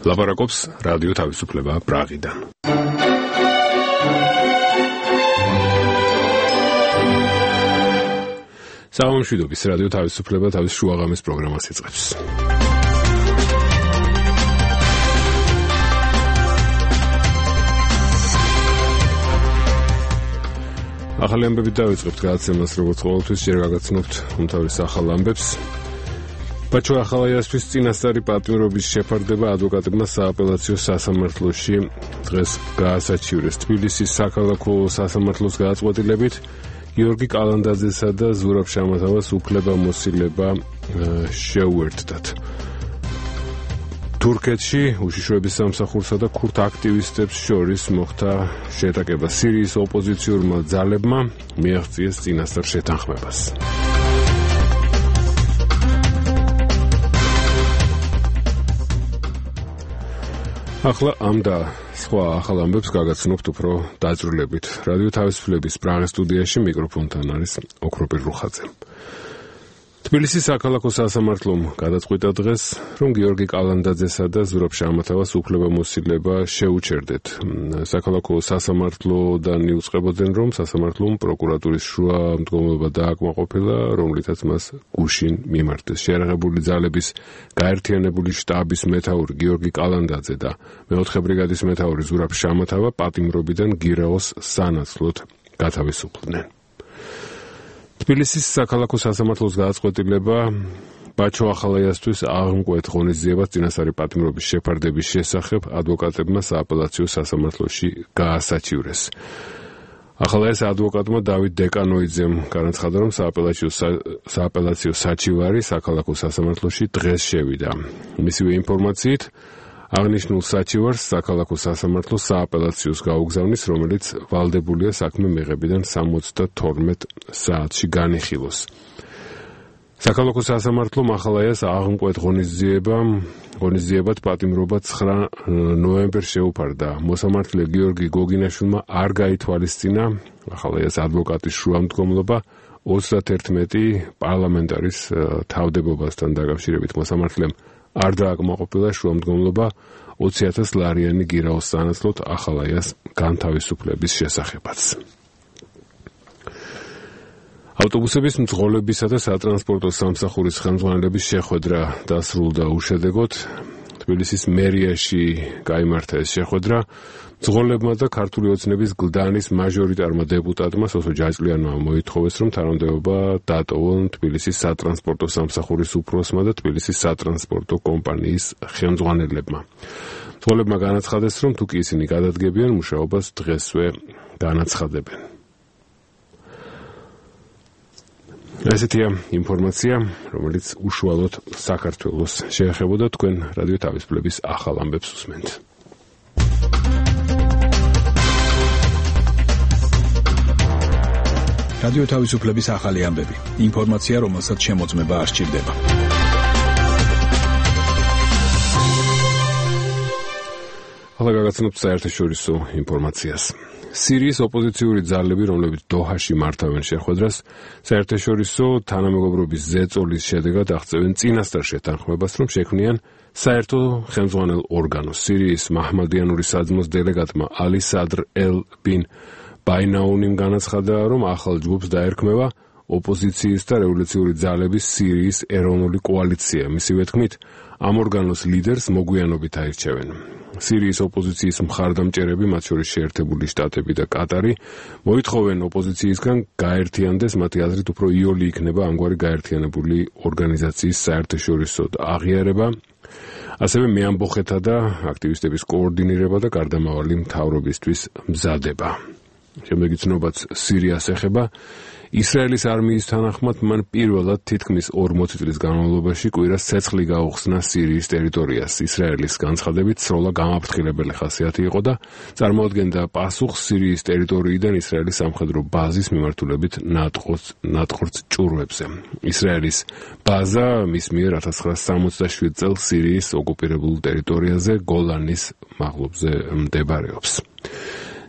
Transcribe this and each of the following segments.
ლაპარაკობს რადიო თავისუფლება პრაღიდან. სამშვიდობის რადიო თავისუფლება თავის შუაღამის პროგრამას იწყებს. ახალი ამბებით დავიწყებთ გადაცემას, როგორც ყოველთვის ჯერ გაგაცნობთ უმთავრეს ახალ ამბებს. ბაჩო ახალაიასთვის წინასწარი პატიმრობის შეფარდება ადვოკატებმა სააპელაციო სასამართლოში დღეს გაასაჩივრეს. თბილისის საქალაქო სასამართლოს გადაწყვეტილებით გიორგი კალანდაძესა და ზურაბ შამათავას უფლებამოსილება შეუერთდათ. თურქეთში უშიშროების სამსახურსა და ქურთ აქტივისტებს შორის მოხდა შეტაკება. სირიის ოპოზიციურმა ძალებმა მიაღწიეს წინასწარ შეთანხმებას. ახლა ამ და სხვა ახალ ამბებს გაგაცნობთ უფრო დაწვრილებით. რადიო თავისუფლების პრაღის სტუდიაში მიკროფონთან არის ოქროპირ რუხაძე. თბილისის საქალაქო სასამართლომ გადაწყვიტა დღეს, რომ გიორგი კალანდაძესა და ზურაბ შამათავას უფლებამოსილება შეუჩერდეთ. საქალაქო სასამართლოდან იუწყებოდნენ, რომ სასამართლომ პროკურატურის შუამდგომლობა დააკმაყოფილა, რომლითაც მას გუშინ მიმართეს. შეიარაღებული ძალების გაერთიანებული შტაბის მეთაური გიორგი კალანდაძე და მეოთხე ბრიგადის მეთაური ზურაბ შამათავა პატიმრობიდან გირაოს სანაცვლოდ გათავისუფლდნენ. თბილისის საქალაქო სასამართლოს გადაწყვეტილება ბაჩო ახალაიასთვის აღმკვეთ ღონისძიებას წინასწარი პატიმრობის შეფარდების შესახებ ადვოკატებმა სააპელაციო სასამართლოში გაასაჩივრეს. ახალაიას ადვოკატმა დავით დეკანოიძემ განაცხადა, რომ სააპელაციო საჩივარი საქალაქო სასამართლოში დღეს შევიდა. მისივე ინფორმაციით აღნიშნულ საჩივარს საქალაქო სასამართლო სააპელაციოს გაუგზავნის, რომელიც ვალდებულია საქმე მიღებიდან 72 საათში განიხილოს. საქალაქო სასამართლომ ახალაიას აღმკვეთ ღონისძიებად პატიმრობა 9 ნოემბერს შეუფარდა. მოსამართლე გიორგი გოგინაშვილმა არ გაითვალისწინა ახალაიას ადვოკატის შუამდგომლობა 31 პარლამენტარის თავდებობასთან დაკავშირებით. მოსამართლემ არ დააკმაყოფილა შუამდგომლობა 20,000 ლარიანი გირაოს სანაცვლოდ ახალაიას განთავისუფლების შესახებაც. ავტობუსების მძღოლებისა და სატრანსპორტო სამსახურის ხელმძღვანელების შეხვედრა დასრულდა უშედეგოდ. თბილისის მერიაში გაიმართა ეს შეხვედრა. მძღოლებმა და ქართული ოცნების გლდანის მაჟორიტარმა დეპუტატმა სოსო ჯაჭლიანმა მოითხოვეს, რომ თანამდებობა დატოვონ თბილისის სატრანსპორტო სამსახურის უფროსმა და თბილისის სატრანსპორტო კომპანიის ხელმძღვანელებმა. მძღოლებმა განაცხადეს, რომ თუ კი ისინი გადადგებიან მუშაობას, დღესვე განაცხადებენ. ესეთია ინფორმაცია, რომელიც უშუალოდ საქართველოს შეეხებოდა. თქვენ რადიო თავისუფლების ახალ ამბებს უსმენთ. რადიო თავისუფლების ახალი ამბები. ინფორმაცია, რომელსაც შემოწმება არ სჭირდება. ახლა გაგაცნობთ საერთაშორისო ინფორმაციას. სირიის ოპოზიციური ძალები, რომლებიც დოჰაში მართავენ შეხვედრას, საერთაშორისო თანამეგობრობის ზეწოლის შედეგად აღწევენ წინასწარ შეთანხმებას, რომ შექმნიან საერთო ხელმძღვანელ ორგანოს. სირიის მაჰმადიანური საძმოს დელეგატმა ალი სადრ ელ ბინ ბაინაუნიმ განაცხადა, რომ ახალ ჯგუფს დაერქმევა ოპოზიციის და რევოლუციური ძალების სირიის ეროვნული კოალიცია. მისივე თქმით, ამ ორგანოს ლიდერს მოგვიანობით აირჩევენ. სირიის ოპოზიციის მხარდამჭერები, მათ შორის შეერთებული შტატები და კატარი, მოითხოვენ ოპოზიციისგან გაერთიანდეს, მათი აზრით უფრო იოლი იქნება ამგვარი გაერთიანებული ორგანიზაციის საერთაშორისო აღიარება, ასევე მეამბოხეთა და აქტივისტების კოორდინირება და გარდამავალი მთავრობისთვის მზადება. შემდეგი ცნობაც სირიას ეხება. ისრაელის არმიის თანახმად მან პირველად თითქმის 40 წლის განმავლობაში კვირას ცეცხლი გაუხსნა სირიის ტერიტორიას. ისრაელის განცხადებით სროლა გამაფრთხილებელი ხასიათი იყო და წარმოადგენდა პასუხს სირიის ტერიტორიიდან ისრაელის სამხედრო ბაზის მიმართულებით ნატყორც ჭურვებზე. ისრაელის ბაზა მის მიერ 1967 წელს სირიის ოკუპირებულ ტერიტორიაზე გოლანის მაღლობზე მდებარეობს.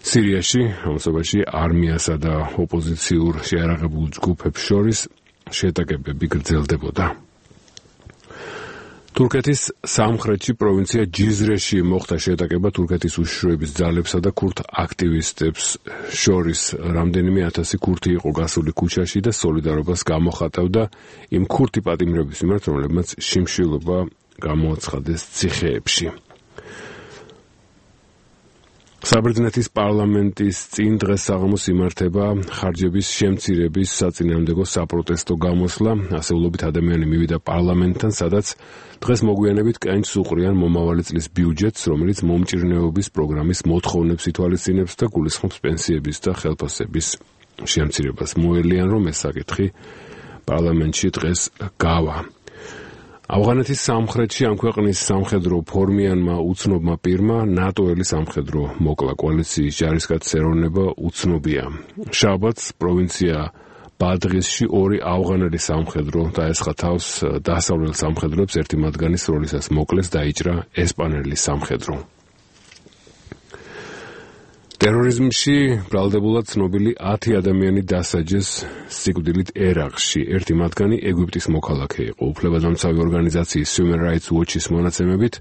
სირიაში ამასობაში არმიასა და ოპოზიციურ შეიარაღებულ ჯგუფებს შორის შეტაკებები გრძელდებოდა. თურქეთის სამხრეთში პროვინცია ჯიზრეში მოხდა შეტაკება თურქეთის უშიშროების ძალებსა და ქურთ აქტივისტებს შორის. რამდენიმე ათასი ქურთი იყო გასული ქუჩაში და სოლიდარობას გამოხატავდა იმ ქურთი პატიმრების მიმართ, რომლებმაც შიმშილობა გამოაცხადეს ციხეებში. საბერძნეთის პარლამენტის წინ დღეს საღამოს იმართება ხარჯების შემცირების საწინააღმდეგო საპროტესტო გამოსვლა. ასეულობით ადამიანი მივიდა პარლამენტთან, სადაც დღეს მოგვიანებით კენჭს უყრიან მომავალი წლის ბიუჯეტს, რომელიც მომჭირნეობის პროგრამის მოთხოვნებს ითვალისწინებს და გულისხმობს პენსიების და ხელფასების შემცირებას. მოელიან, რომ ეს საკითხი პარლამენტში დღეს გავა. ავღანეთის სამხრეთში ამ ქვეყნის სამხედრო ფორმიანმა უცნობმა პირმა ნატოელი სამხედრო მოკლა კოალიციის ჯარისკაცის ეროვნება უცნობია. შაბათს პროვინცია ბადღისში ორი ავღანელი სამხედრო დაესხა თავს დასავლელ სამხედროებს, ერთი მათგანის როლისას მოკლეს დაიჭრა ესპანელი სამხედრო. ტერორიზმში ბრალდებულად ცნობილი 10 ადამიანი დასაჯეს სიკვდილით ერაყში. ერთი მათგანი ეგვიპტის მოქალაქე იყო. უფლებადამცავი ორგანიზაციის Human Rights Watch-ის მონაცემებით,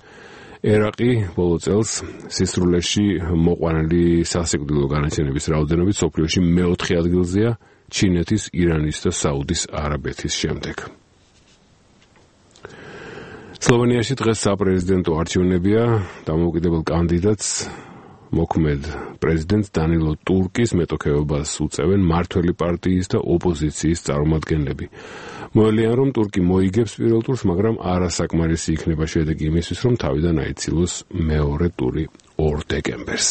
ერაყი ბოლო წელს სისრულეში მოყვანილი სასიკვდილო განაჩენების რაოდენობით მსოფლიოში მეოთხე ადგილზეა, ჩინეთის, ირანის და საუდის არაბეთის შემდეგ. სლოვენიაში დღეს საპრეზიდენტო არჩევნებია. დამოუკიდებელ კანდიდატს მოქმედ პრეზიდენტ დანილო ტურკის მეტოქეობას უწევენ მართველი პარტიის და ოპოზიციის წარმომადგენლები. მოელიან, რომ ტურკი მოიგებს პირველ ტურს, მაგრამ არასაკმარისი იქნება შედეგი იმისთვის, რომ თავიდან აიცილოს მეორე ტური 2 დეკემბერს.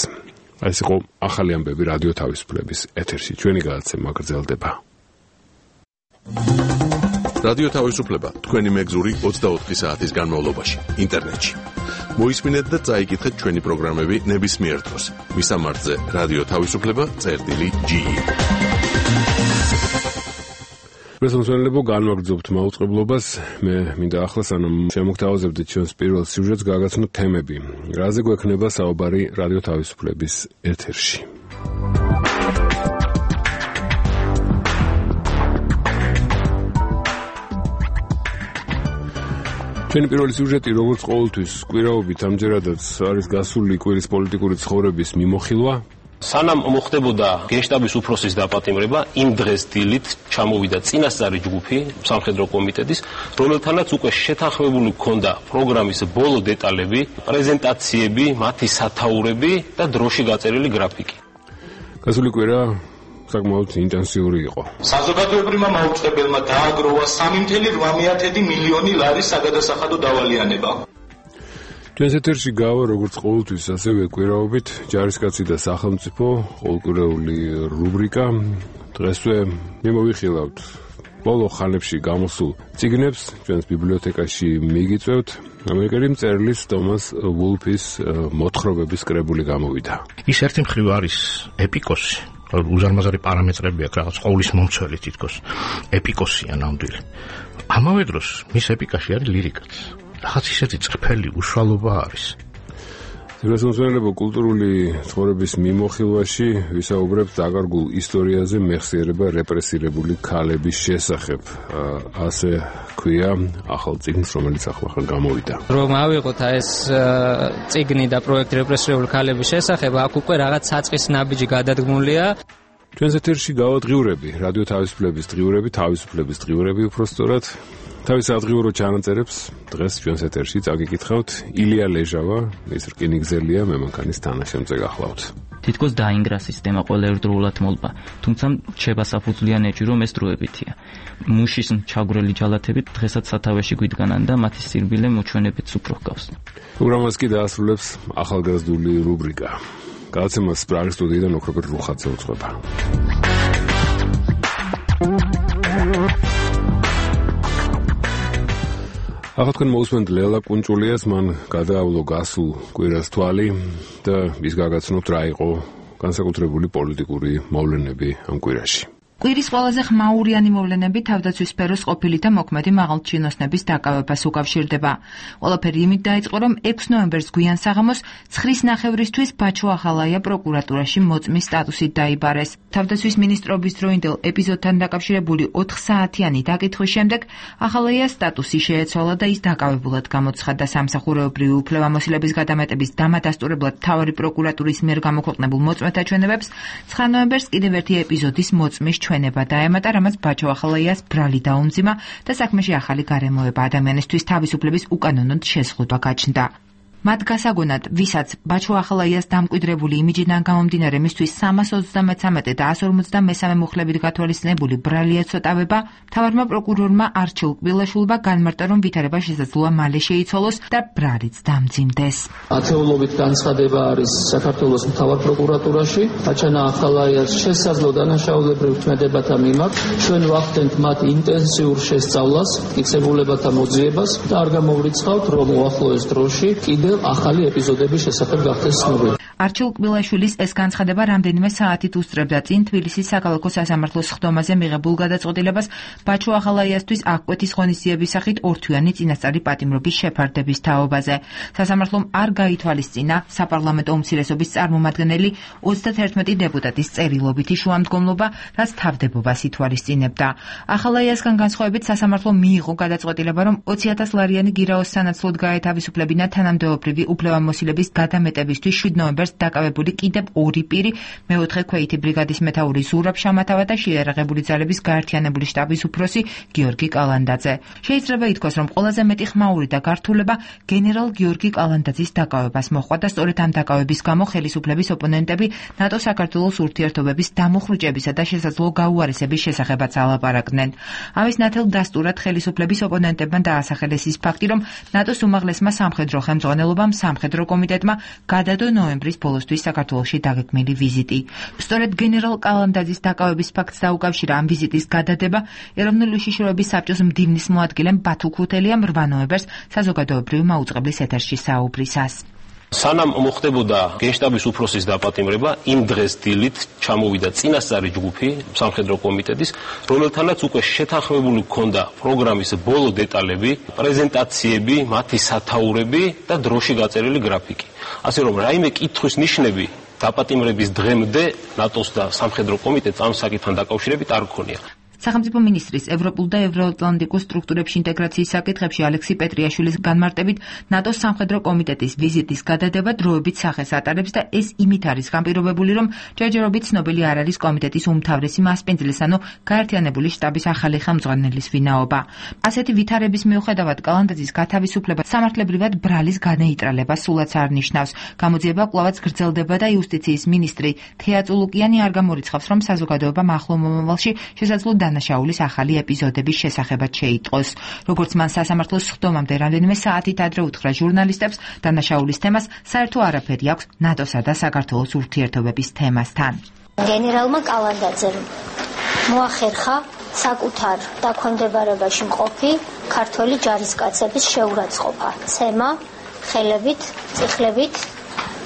ეს იყო ახალი ამბები რადიო თავისუფლების ეთერში. ჩვენი გადაცემა გრძელდება. რადიო თავისუფლება თქვენი მეგზური 24 საათის განმავლობაში ინტერნეტში. მოისმინეთ და წაიკითხეთ ჩვენი პროგრამები ნებისმიერ დროს. მისამართზე რადიო თავისუფლება.ge. მოსმენელებო, განვაგრძობთ მაუწყებლობას. მე მინდა ახლა სანამ შემოგთავაზებდით ჩვენს პირველ სიუჟეტს, გაგაცნოთ თემები. რაზე გვექნება საუბარი რადიო თავისუფლების ეთერში. ჩვენი პირველი სიუჟეტი, როგორც ყოველთვის, კვირაობით ამჯერადაც არის გასული კვირის პოლიტიკური ცხოვრების მიმოხილვა. სანამ მოხდებოდა გენშტაბის უფროსის დაპატიმრება, იმ დღეს დილით ჩამოვიდა წინასწარი ჯგუფი სამხედრო კომიტეტის, რომელთანაც უკვე შეთანხმებული ჰქონდა პროგრამის ბოლო დეტალები, პრეზენტაციები, მათი სათაურები და დროში გაწერილი გრაფიკი. გასული კვირა საკმაოდ ინტენსიური იყო. საზოგადოებრივმა მაუწყებელმა დააგროვა 3,8 მილიონი ლარის საგადასახადო დავალიანება. ჩვენს ეთერში გავა, როგორც ყოველთვის, ასევე კვირაობით ჯარისკაცი და სახელმწიფო ყოველკვირეული რუბრიკა. დღესვე მიმოვიხილავთ ბოლო ხანებში გამოსულ წიგნებს, ჩვენს ბიბლიოთეკაში მიგიწევთ. ამერიკელი მწერლის თომას ვულფის მოთხრობების კრებული გამოვიდა. ის ერთი მხრივ არის ეპიკოსი. უზარმაზარი პარამეტრები აქვს, რაღაც ყოვლის მომცველი თითქოს ეპიკოსია ნამდვილი. ამავე დროს მის ეპიკაში არის ლირიკაც. რაღაც ისეთი წრფელი უშუალობა არის. მოსმენელებო, კულტურული ცხოვრების მიმოხილვაში ვისაუბრებთ დაკარგულ ისტორიაზე მეხსიერება რეპრესირებული ქალების შესახებ. ასე ქვია ახალ წიგნს, რომელიც ახლა გამოვიდა. რომ ავიღოთ ეს წიგნი და პროექტი რეპრესირებული ქალების შესახებ, აქ უკვე რაღაც საწყის ნაბიჯი გადადგმულია. ჩვენს ეთერში გავა დღიურები, რადიო თავისუფლების დღიურები, თავისუფლების დღიურები უпростоრად. თავის ადგილობრივ ჩანაწერებს დღეს ჩვენს ეთერში წაგიკითხავთ. ილია ლეჟავა, ის რკინიგზელია, მე მანქანის თანაშემწე გახლავთ. თითქოს დაინგრა სისტემა ყველა ერთდროულად მოლპა, თუმცა რჩება საფუძვლიანი ეჭვი, რომ ეს დროებითია. მუშის ჩაგვრელი ჯალათები დღესაც სათავეში გვიდგანან და მათი სირბილე მოჩვენებით უფრო ჰგავს. პროგრამას კი დაასრულებს ახალგაზრდული რუბრიკა. გადაცემას პრაღის სტუდიიდან ოქროპერ რუხაძე უძღვება. ახლა თქვენ მოусმენთ ლელა კუნჭულიას, მან გადაავლო გასულ კვირას თვალი და ის გაგაცნობთ რა იყო განსაკუთრებული პოლიტიკური მოვლენები ამ კვირაში. კვირის ყველაზე ხმაურიანი მოვლენები თავდაცვის სფეროს ყოფილი და მოქმედი მაღალჩინოსნების დაკავებას უკავშირდება. ყველაფერი იმით დაიწყო, რომ 6 ნოემბერს გვიან საღამოს 9:30-ისთვის ბაჩო ახალაია პროკურატურაში მოწმის სტატუსით დაიბარეს. თავდაცვის მინისტრობის დროინდელ ეპიზოდთან დაკავშირებული 4 საათიანი დაკითხვის შემდეგ ახალაიას სტატუსი შეეცვალა და ის დაკავებულად გამოცხადდა სამსახურეობრივი უფლებამოსილების გადამეტების დამადასტურებლად მთავარი პროკურატურის მიერ გამოქვეყნებულ მოწმეთა ჩვენებებს 9 ნოემბერს კიდევ ერთი ეპიზოდის მოწმის ჩვენება დაემატა, რამაც ბაჩო ახალაიას ბრალი დაუმძიმა და საქმეში ახალი გარემოება ადამიანისთვის თავისუფლების უკანონოდ შეზღუდვა გაჩნდა. მათ გასაგონად, ვისაც ბაჩო ახალაიას დამკვიდრებული იმიჯიდან გამომდინარე მისთვის 333 და 153 მუხლებით გათვალისწინებული ბრალი ეცოტავება, მთავარმა პროკურორმა არჩილ კბილაშვილმა განმარტა, რომ ვითარება შესაძლოა მალე შეიცვალოს და ბრალიც დამძიმდეს. ათეულობით განცხადება არის საქართველოს მთავარ პროკურატურაში, ბაჩანა ახალაიას შესაძლო დანაშაულებრივ თქმედებათა მიმართ ჩვენ ვახდენთ მათ ინტენსიურ შესწავლას, მტკიცებულებათა მოძიებას და არ გამოვრიცხავთ, რომ უახლოეს დროში ახალი ეპიზოდების შესახებ გახდეს ცნობილი. არჩილ კბილაშვილის ეს განცხადება რამდენიმე საათით უსწრებდა წინ თბილისის საქალაქო სასამართლოს ხდომაზე მიღებულ გადაწყვეტილებას ბაჩო ახალაიასთვის აღკვეთის ღონისძიების სახით ორთვიანი წინასწარი პატიმრობის შეფარდების თაობაზე. სასამართლომ არ გაითვალისწინა საპარლამენტო უმცირესობის წარმომადგენელი 31 დეპუტატის წერილობითი შუამდგომლობა, რაც თავდებობას ითვალისწინებდა. ახალაიასგან განსხვავებით სასამართლომ მიიღო გადაწყვეტილება, რომ 20,000 ლარიანი გირაოს სანაცვლოდ გაეთავისუფლებინა თანამდებობრივი უფლებამოსილების გადამეტებისთვის 7 ნოემბერს დაკავებული კიდევ 2 პირი, მეოთხე ქვეითი ბრიგადის მეთაური ზურაბ შამათავა და შეიარაღებული ძალების გაერთიანებული შტაბის უფროსი გიორგი კალანდაძე. შეიძლება ითქვას, რომ ყველაზე მეტი ხმაური და გართულება გენერალ გიორგი კალანდაძის დაკავებას მოჰყვა და სწორედ ამ დაკავების გამო ხელისუფლების ოპონენტები ნატო-საქართველოს ურთიერთობების დამუხრუჭებისა და შესაძლო გაუარესების შესახებაც ალაპარაკდნენ. ამის ნათელ დასტურად ხელისუფლების ოპონენტებმა დაასახელეს ის ფაქტი, რომ ნატოს უმაღლესმა სამხედრო ხელმძღვანელობამ სამხედრო კომიტეტმა გადადო ნოემბრის ბოლოსთვის საქართველოში დაგეგმილი ვიზიტი. სწორედ გენერალ კალანდაძის დაკავების ფაქტს დაუკავშირა ამ ვიზიტის გადადება ეროვნული უშიშროების საბჭოს მდივნის მოადგილემ ბათუ ქუთელიამ 8 ნოემბერს საზოგადოებრივი მაუწყებლის ეთერში საუბრისას. სანამ მოხდებოდა გენშტაბის უფროსის დაპატიმრება, იმ დღეს დილით ჩამოვიდა წინასწარი ჯგუფი სამხედრო კომიტეტის, რომელთანაც უკვე შეთანხმებული ჰქონდა პროგრამის ბოლო დეტალები, პრეზენტაციები, მათი სათაურები და დროში გაწერილი გრაფიკი. ასე რომ რაიმე კითხვის ნიშნები დაპატიმრების დღემდე ნატოს და სამხედრო კომიტეტს ამ საკითხთან დაკავშირებით არ ჰქონია. სახელმწიფო მინისტრის ევროპულ და ევროატლანტიკურ სტრუქტურებში ინტეგრაციის საკითხებში ალექსი პეტრიაშვილის განმარტებით ნატოს სამხედრო კომიტეტის ვიზიტის გადადება დროებით სახეს ატარებს და ეს იმით არის განპირობებული, რომ ჯერჯერობით ცნობილი არ არის კომიტეტის უმთავრესი მასპინძლის, ანუ გაერთიანებული შტაბის ახალი ხელმძღვანელის ვინაობა. ასეთი ვითარების მიუხედავად კალანდაძის გათავისუფლება სამართლებრივად ბრალის განეიტრალებას სულაც არ ნიშნავს. გამოძიება კვლავაც გრძელდება და იუსტიციის მინისტრი თეა წულუკიანი არ გამორიცხავს, რომ საზოგადოებამ ახლო მომავალში შესაძლო დანაშაულის ახალი ეპიზოდების შესახებად შეიტყოს. როგორც მან სასამართლოს ხდომამდე რამდენიმე საათით ადრე უთხრა ჟურნალისტებს, დანაშაულის თემას საერთო არაფერი აქვს ნატოსა და საქართველოს ურთიერთობების თემასთან. გენერალმა კალანდაძემ მოახერხა საკუთარ დაქვემდებარებაში მყოფი ქართველი ჯარისკაცების შეურაცხყოფა, ცემა, ხელებით, წიხლებით,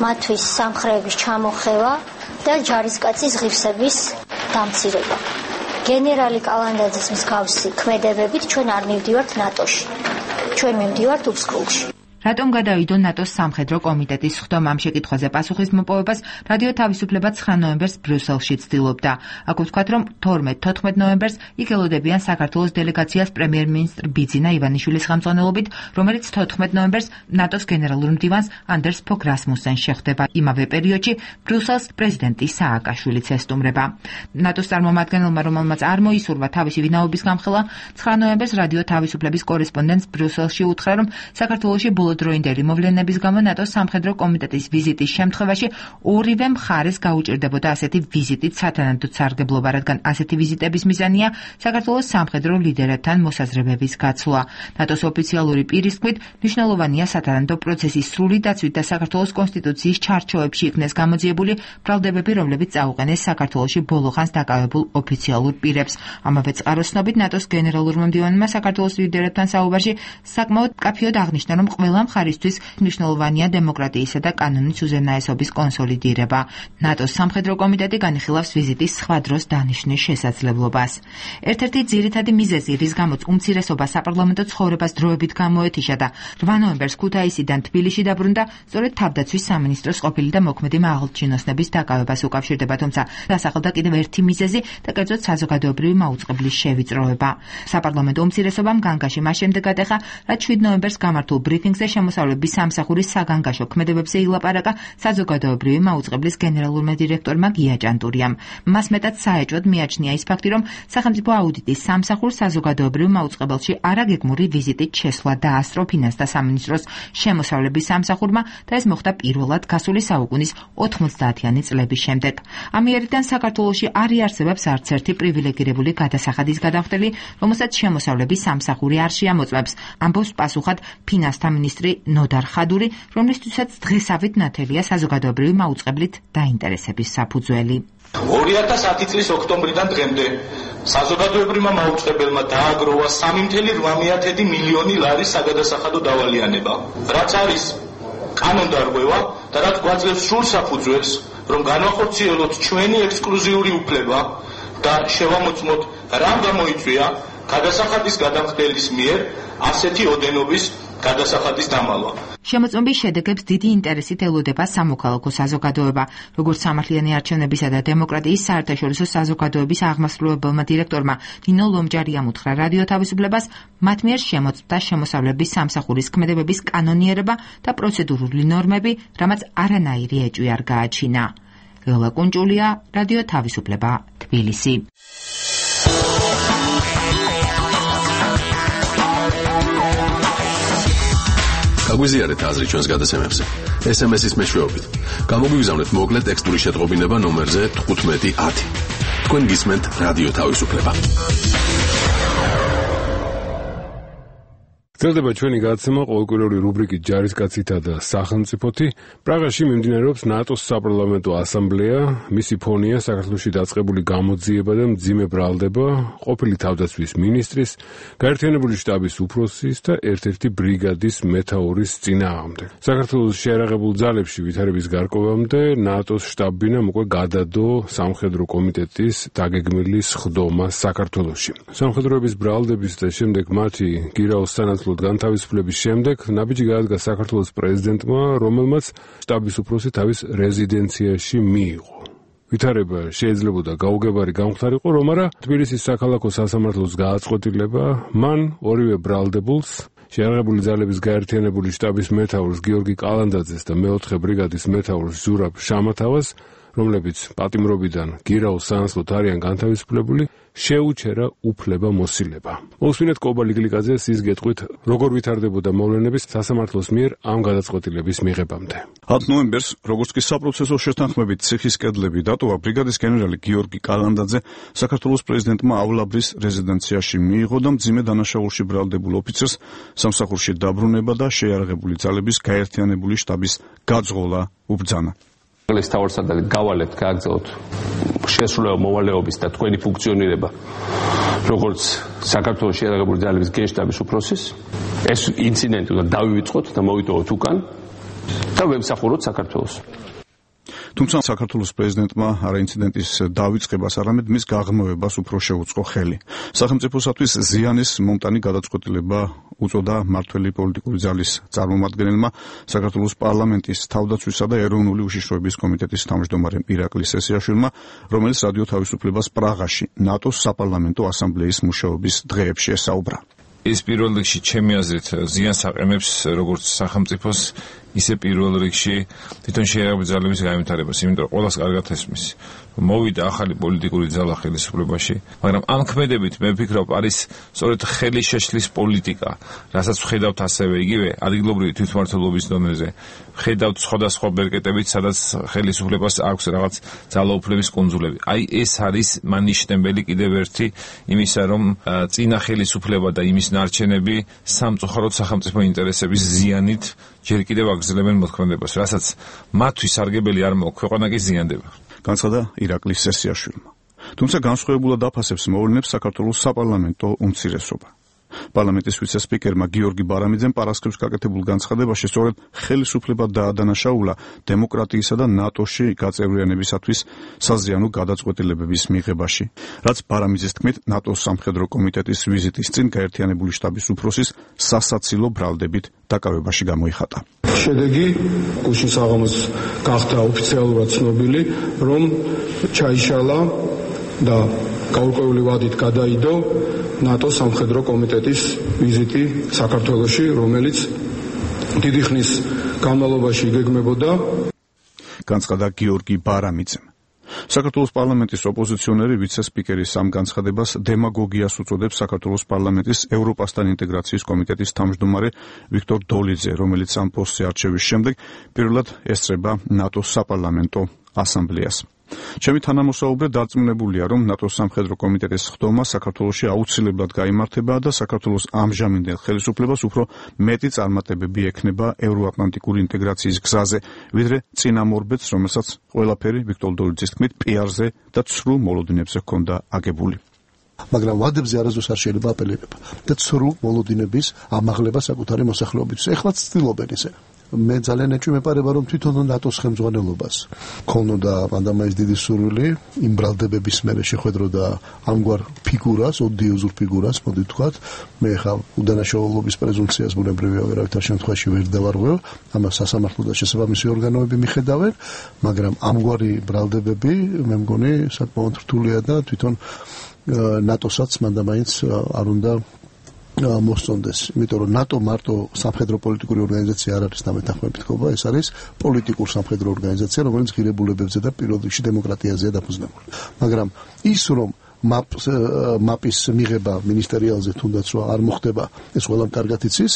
მათთვის სამხრეების ჩამოხევა და ჯარისკაცის ღირსების დამცირება. გენერალი კალანდაძის მსგავსი ქმედებებით ჩვენ არ მივდივართ ნატოში. ჩვენ მივდივართ უსკოლში. რატომ გადავიდო ნატოს სამხედრო კომიტეტის ხდომა? ამ შეკითხვაზე პასუხის მოპოვებას რადიო თავისუფლება 9 ნოემბერს ბრიუსელში ცდილობდა. აქ ვთქვათ, რომ 12-14 ნოემბერს იქ ელოდებიან საქართველოს დელეგაციას პრემიერ-მინისტრ ბიძინა ივანიშვილის ხელმძღვანელობით, რომელიც 14 ნოემბერს ნატოს გენერალურ მდივანს ანდერს ფოგ რასმუსენს შეხვდება. იმავე პერიოდში ბრიუსელს პრეზიდენტი სააკაშვილიც ესტუმრება. ნატოს წარმომადგენელმა, რომელმაც არ მოისურვა თავისი ვინაობის გამხელა, 9 ნოემბერს რადიო თავისუფლების კორესპონდენტს ბრიუსელში უთხრა, რომ საქართველოში დროინდელი მოვლენების გამო ნატოს სამხედრო კომიტეტის ვიზიტის შემთხვევაში ორივე მხარეს გაუჭირდებოდა ასეთი ვიზიტით სათანადოდ სარგებლობა, რადგან ასეთი ვიზიტების მიზანია საქართველოს სამხედრო ლიდერებთან მოსაზრებების გაცვლა. ნატოს ოფიციალური პირის თქმით, მნიშვნელოვანია სათანადო პროცესის სრული დაცვით და საქართველოს კონსტიტუციის ჩარჩოებში იქნეს გამოძიებული ბრალდებები, რომლებიც წაუყენეს საქართველოში ბოლოხანს დაკავებულ ოფიციალურ პირებს. ამავე წყაროს ცნობით ნატოს გენერალურმა მდივანმა საქართველოს ლიდერებთან საუბარში საკმაოდ მკაფიოდ აღნიშნა, რომ ყველა მხარისთვის მნიშვნელოვანია დემოკრატიისა და კანონის უზენაესობის კონსოლიდირება. ნატოს სამხედრო კომიტეტი განიხილავს ვიზიტის სხვა დროს დანიშნის შესაძლებლობას. ერთ-ერთი ძირითადი მიზეზი, რის გამოც უმცირესობა საპარლამენტო ცხოვრებას დროებით გამოეთიშა და 8 ნოემბერს ქუთაისიდან თბილისში დაბრუნდა, სწორედ თავდაცვის სამინისტროს ყოფილი და მოქმედი მაღალჩინოსნების დაკავებას უკავშირდება, თუმცა დასახელდა კიდევ ერთი მიზეზი და კერძოდ საზოგადოებრივი მაუწყებლის შევიწროება. საპარლამენტო უმცირესობამ განგაში მას შემდეგ ატეხა, რაც 7 ნოემბერს გამართულ ბრიფინგზე შემოსავლების სამსახურის საგანგაშო ქმედებებზე ილაპარაკა საზოგადოებრივი მაუწყებლის გენერალურმა დირექტორმა გია ჭანტურიამ. მას მეტად საეჭვოდ მიაჩნია ის ფაქტი, რომ სახელმწიფო აუდიტის სამსახურს საზოგადოებრივ მაუწყებელში არაგეგმური ვიზიტით შესვლა დაასწრო ფინანსთა სამინისტროს შემოსავლების სამსახურმა და ეს მოხდა პირველად გასული საუკუნის 90-იანი წლების შემდეგ. ამიერიდან საქართველოში არ იარსებებს არც ერთი პრივილეგირებული გადასახადის გადახდელი, რომელსაც შემოსავლების სამსახური არ შეამოწმებს, ამბობს პასუხად ფინანსთა მინისტრი ნოდარ ხადური, რომლისთვისაც დღესავით ნათელია საზოგადოებრივი მაუწყებლით დაინტერესების საფუძველი. 2010 წლის ოქტომბრიდან დღემდე საზოგადოებრივმა მაუწყებელმა დააგროვა 3.8 მილიონი ლარის საგადასახადო დავალიანება, რაც არის კანონდარღვევა და რაც გვაძლევს სრულ საფუძველს, რომ განვახორციელოთ ჩვენი ექსკლუზიური უფლება და შევამოწმოთ რამ გამოიწვია გადასახადის გადამხდელის მიერ ასეთი ოდენობის გადასახადის დამალვა. შემოწმების შედეგებს დიდი ინტერესით ელოდება სამოქალაქო საზოგადოება, როგორც სამართლიანი არჩევნებისა და დემოკრატიის საერთაშორისო საზოგადოების აღმასრულებელმა დირექტორმა ნინო ლომჯარიამ უთხრა რადიო თავისუფლებას, მათ მიერ შემოწმდა შემოსავლების სამსახურის ქმედებების კანონიერება და პროცედურული ნორმები, რამაც არანაირი ეჭვი არ გააჩინა. ლელა კუნჭულია, რადიო თავისუფლება, თბილისი. გაგვიზიარეთ აზრი ჩვენს გადაცემებზე. SMS-ის მეშვეობით. გამოგვიგზავნეთ მოკლე ტექსტური შეტყობინება ნომერზე 1510. თქვენ გისმენთ რადიო თავისუფლება. გრძელდება ჩვენი გადაცემა ყოველკვირეული რუბრიკით ჯარისკაცითა და სახელმწიფოთი. პრაღაში მიმდინარეობს ნატოს საპარლამენტო ასამბლეა, მისი ფონია საქართველოში დაწყებული გამოძიება და მძიმე ბრალდება ყოფილი თავდაცვის მინისტრის, გაერთიანებული შტაბის უფროსის და ერთ-ერთი ბრიგადის მეთაურის წინააღმდეგ. საქართველოს შეიარაღებულ ძალებში ვითარების გარკვევამდე ნატოს შტაბ-ბინამ უკვე გადადო სამხედრო კომიტეტის დაგეგმილი სხდომა საქართველოში. სამხედროების ბრალდების და შემდეგ მათი გირაოს სანაცვლოდ განთავისუფლების შემდეგ ნაბიჯი გაადგა საქართველოს პრეზიდენტმა, რომელმაც შტაბის უფროსი თავის რეზიდენციაში მიიღო. ვითარება შეიძლებოდა გაუგებარი გამხდარიყო, რომ არა თბილისის საქალაქო სასამართლოს გააწყვეტილება მან ორივე ბრალდებულს, შეიარაღებული ძალების გაერთიანებული შტაბის მეთაურს გიორგი კალანდაძეს და მეოთხე ბრიგადის მეთაურს ზურაბ შამათავას, რომლებიც პატიმრობიდან გირაოს სანაცვლოდ არიან განთავისუფლებული, შეუჩერა უფლება მოსილება. მოვსმინეთ კობა ლიგლიკაძეს ის გეტყვით, როგორ ვითარდებოდა მოვლენების სასამართლოს მიერ ამ გადაწყვეტილების მიღებამდე. 10 ნოემბერს, როგორც კი საპროცესო შეთანხმებით ციხის კედლები დატოვა, ბრიგადის გენერალი გიორგი კალანდაძე საქართველოს პრეზიდენტმა ავლაბრის რეზიდენციაში მიიღო და მძიმე დანაშაულში ბრალდებულ ოფიცერს სამსახურში დაბრუნება და შეიარაღებული ძალების გაერთიანებული შტაბის გაძღოლა უბრძანა. ეს თავარსარდალი გავალებთ, გააგზავნოთ შესრულება მოვალეობის და თქვენი ფუნქციონირება როგორც საქართველოს შეიარაღებული ძალების გენშტაბის უფროსის. ეს ინციდენტი უნდა დავივიწყოთ და მოვიტოვოთ უკან და ვემსახუროთ საქართველოს. თუმცა საქართველოს პრეზიდენტმა არა ინციდენტის დავიწყებას, არამედ მის გაღრმავებას უფრო შეუწყო ხელი. სახელმწიფოსათვის ზიანის მომტანი გადაწყვეტილება უწოდა მმართველი პოლიტიკური ძალის წარმომადგენელმა საქართველოს პარლამენტის თავდაცვისა და ეროვნული უშიშროების კომიტეტის თავმჯდომარემ ირაკლი სესიაშვილმა, რომელიც რადიო თავისუფლებას პრაღაში ნატოს საპარლამენტო ასამბლეის მუშაობის დღეებში ესაუბრა. ეს პირველ რიგში ჩემი აზრით ზიანს აყენებს როგორც სახელმწიფოს, ისე პირველ რიგში თვითონ შეიარაღებული ძალების განვითარებას, იმიტომ რომ ყველას კარგად ესმის. მოვიდა ახალი პოლიტიკური ძალა ხელისუფლებაში, მაგრამ ამ ქმედებით მე ვფიქრობ არის სწორედ ხელის შეშლის პოლიტიკა, რასაც ვხედავთ ასევე იგივე ადგილობრივი თვითმმართველობის დონეზე. ვხედავთ სხვადასხვა ბერკეტებით, სადაც ხელისუფლებას აქვს რაღაც ძალაუფლების კუნძულები. აი ეს არის მანიშნებელი კიდევ ერთი იმისა, რომ წინა ხელისუფლება და იმის ნარჩენები სამწუხაროდ სახელმწიფო ინტერესების ზიანით ჯერ კიდევ აგრძელებენ მოქმედებას, რასაც მათთვის სარგებელი არ მოაქვს, ქვეყანა კი ზიანდება. განცხადა ირაკლი სესიაშვილმა. თუმცა განსხვავებულად აფასებს მოვლენებს საქართველოს საპარლამენტო უმცირესობა. პარლამენტის ვიცე-სპიკერმა გიორგი ბარამიძემ პარასკევს გაკეთებულ განცხადებაში სწორედ ხელისუფლება დაადანაშაულა დემოკრატიისა და ნატოში გაწევრიანებისათვის საზიანო გადაწყვეტილებების მიღებაში, რაც ბარამიძის თქმით ნატოს სამხედრო კომიტეტის ვიზიტის წინ გაერთიანებული შტაბის უფროსის სასაცილო ბრალდებით დაკავებაში გამოიხატა. შედეგი გუშინ საღამოს გახდა ოფიციალურად ცნობილი, რომ ჩაიშალა და გაურკვეველი ვადით გადაიდო ნატოს სამხედრო კომიტეტის ვიზიტი საქართველოში, რომელიც დიდი ხნის განმავლობაში იგეგმებოდა. განცხადა გიორგი ბარამიძემ. საქართველოს პარლამენტის ოპოზიციონერი ვიცე-სპიკერის ამ განცხადებას დემაგოგიას უწოდებს საქართველოს პარლამენტის ევროპასთან ინტეგრაციის კომიტეტის თავმჯდომარე ვიქტორ დოლიძე, რომელიც ამ პოსტზე არჩევის შემდეგ პირველად ესწრება ნატოს საპარლამენტო ასამბლეას. ჩემი თანამოსაუბრე დარწმუნებულია, რომ ნატოს სამხედრო კომიტეტის ხდომა საქართველოში აუცილებლად გაიმართება და საქართველოს ამჟამინდელ ხელისუფლებას უფრო მეტი წარმატებები ექნება ევროატლანტიკური ინტეგრაციის გზაზე, ვიდრე წინამორბედს, რომელსაც ყველაფერი ვიქტორ დოლიძის თქმით პიარზე და ცრუ მოლოდინებზე ჰქონდა აგებული. მაგრამ ვადებზე არასდროს არ შეიძლება აპელირება და ცრუ მოლოდინების ამაღლება საკუთარი მოსახლეობისთვის. ეხლაც ცდილობენ ისე. მე ძალიან ეჭვმეპარება, რომ თვითონ ნატოს ხელმძღვანელობას ქონოდა მანდამაის დიდი სურვილი იმ ბრალდებების მერე შეხვედროდა ამგვარ ფიგურას, ოდიოზურ ფიგურას, მოდი ვთქვათ, მე ხა უდანაშაულობის პრეზუმპციას ბუნებრივია ვერავითარ შემთხვევაში ვერ დავარღვევ, ამას სასამართლო და შესაბამისი ორგანოები მიხედავენ, მაგრამ ამგვარი ბრალდებები მე მგონი საკმაოდ რთულია და თვითონ ნატოსაც მანდამაინც არ უნდა მოსწონდეს, იმიტომ რომ ნატო მარტო სამხედრო პოლიტიკური ორგანიზაცია არ არის დამეთანხმებით ხობა, ეს არის პოლიტიკურ სამხედრო ორგანიზაცია, რომელიც ღირებულებებზე და პირველ რიგში დემოკრატიაზეა დაფუძნებული. მაგრამ ის რომ მაპის მიღება მინისტერიალზე თუნდაც რომ არ მოხდება, ეს ყველამ კარგად იცის,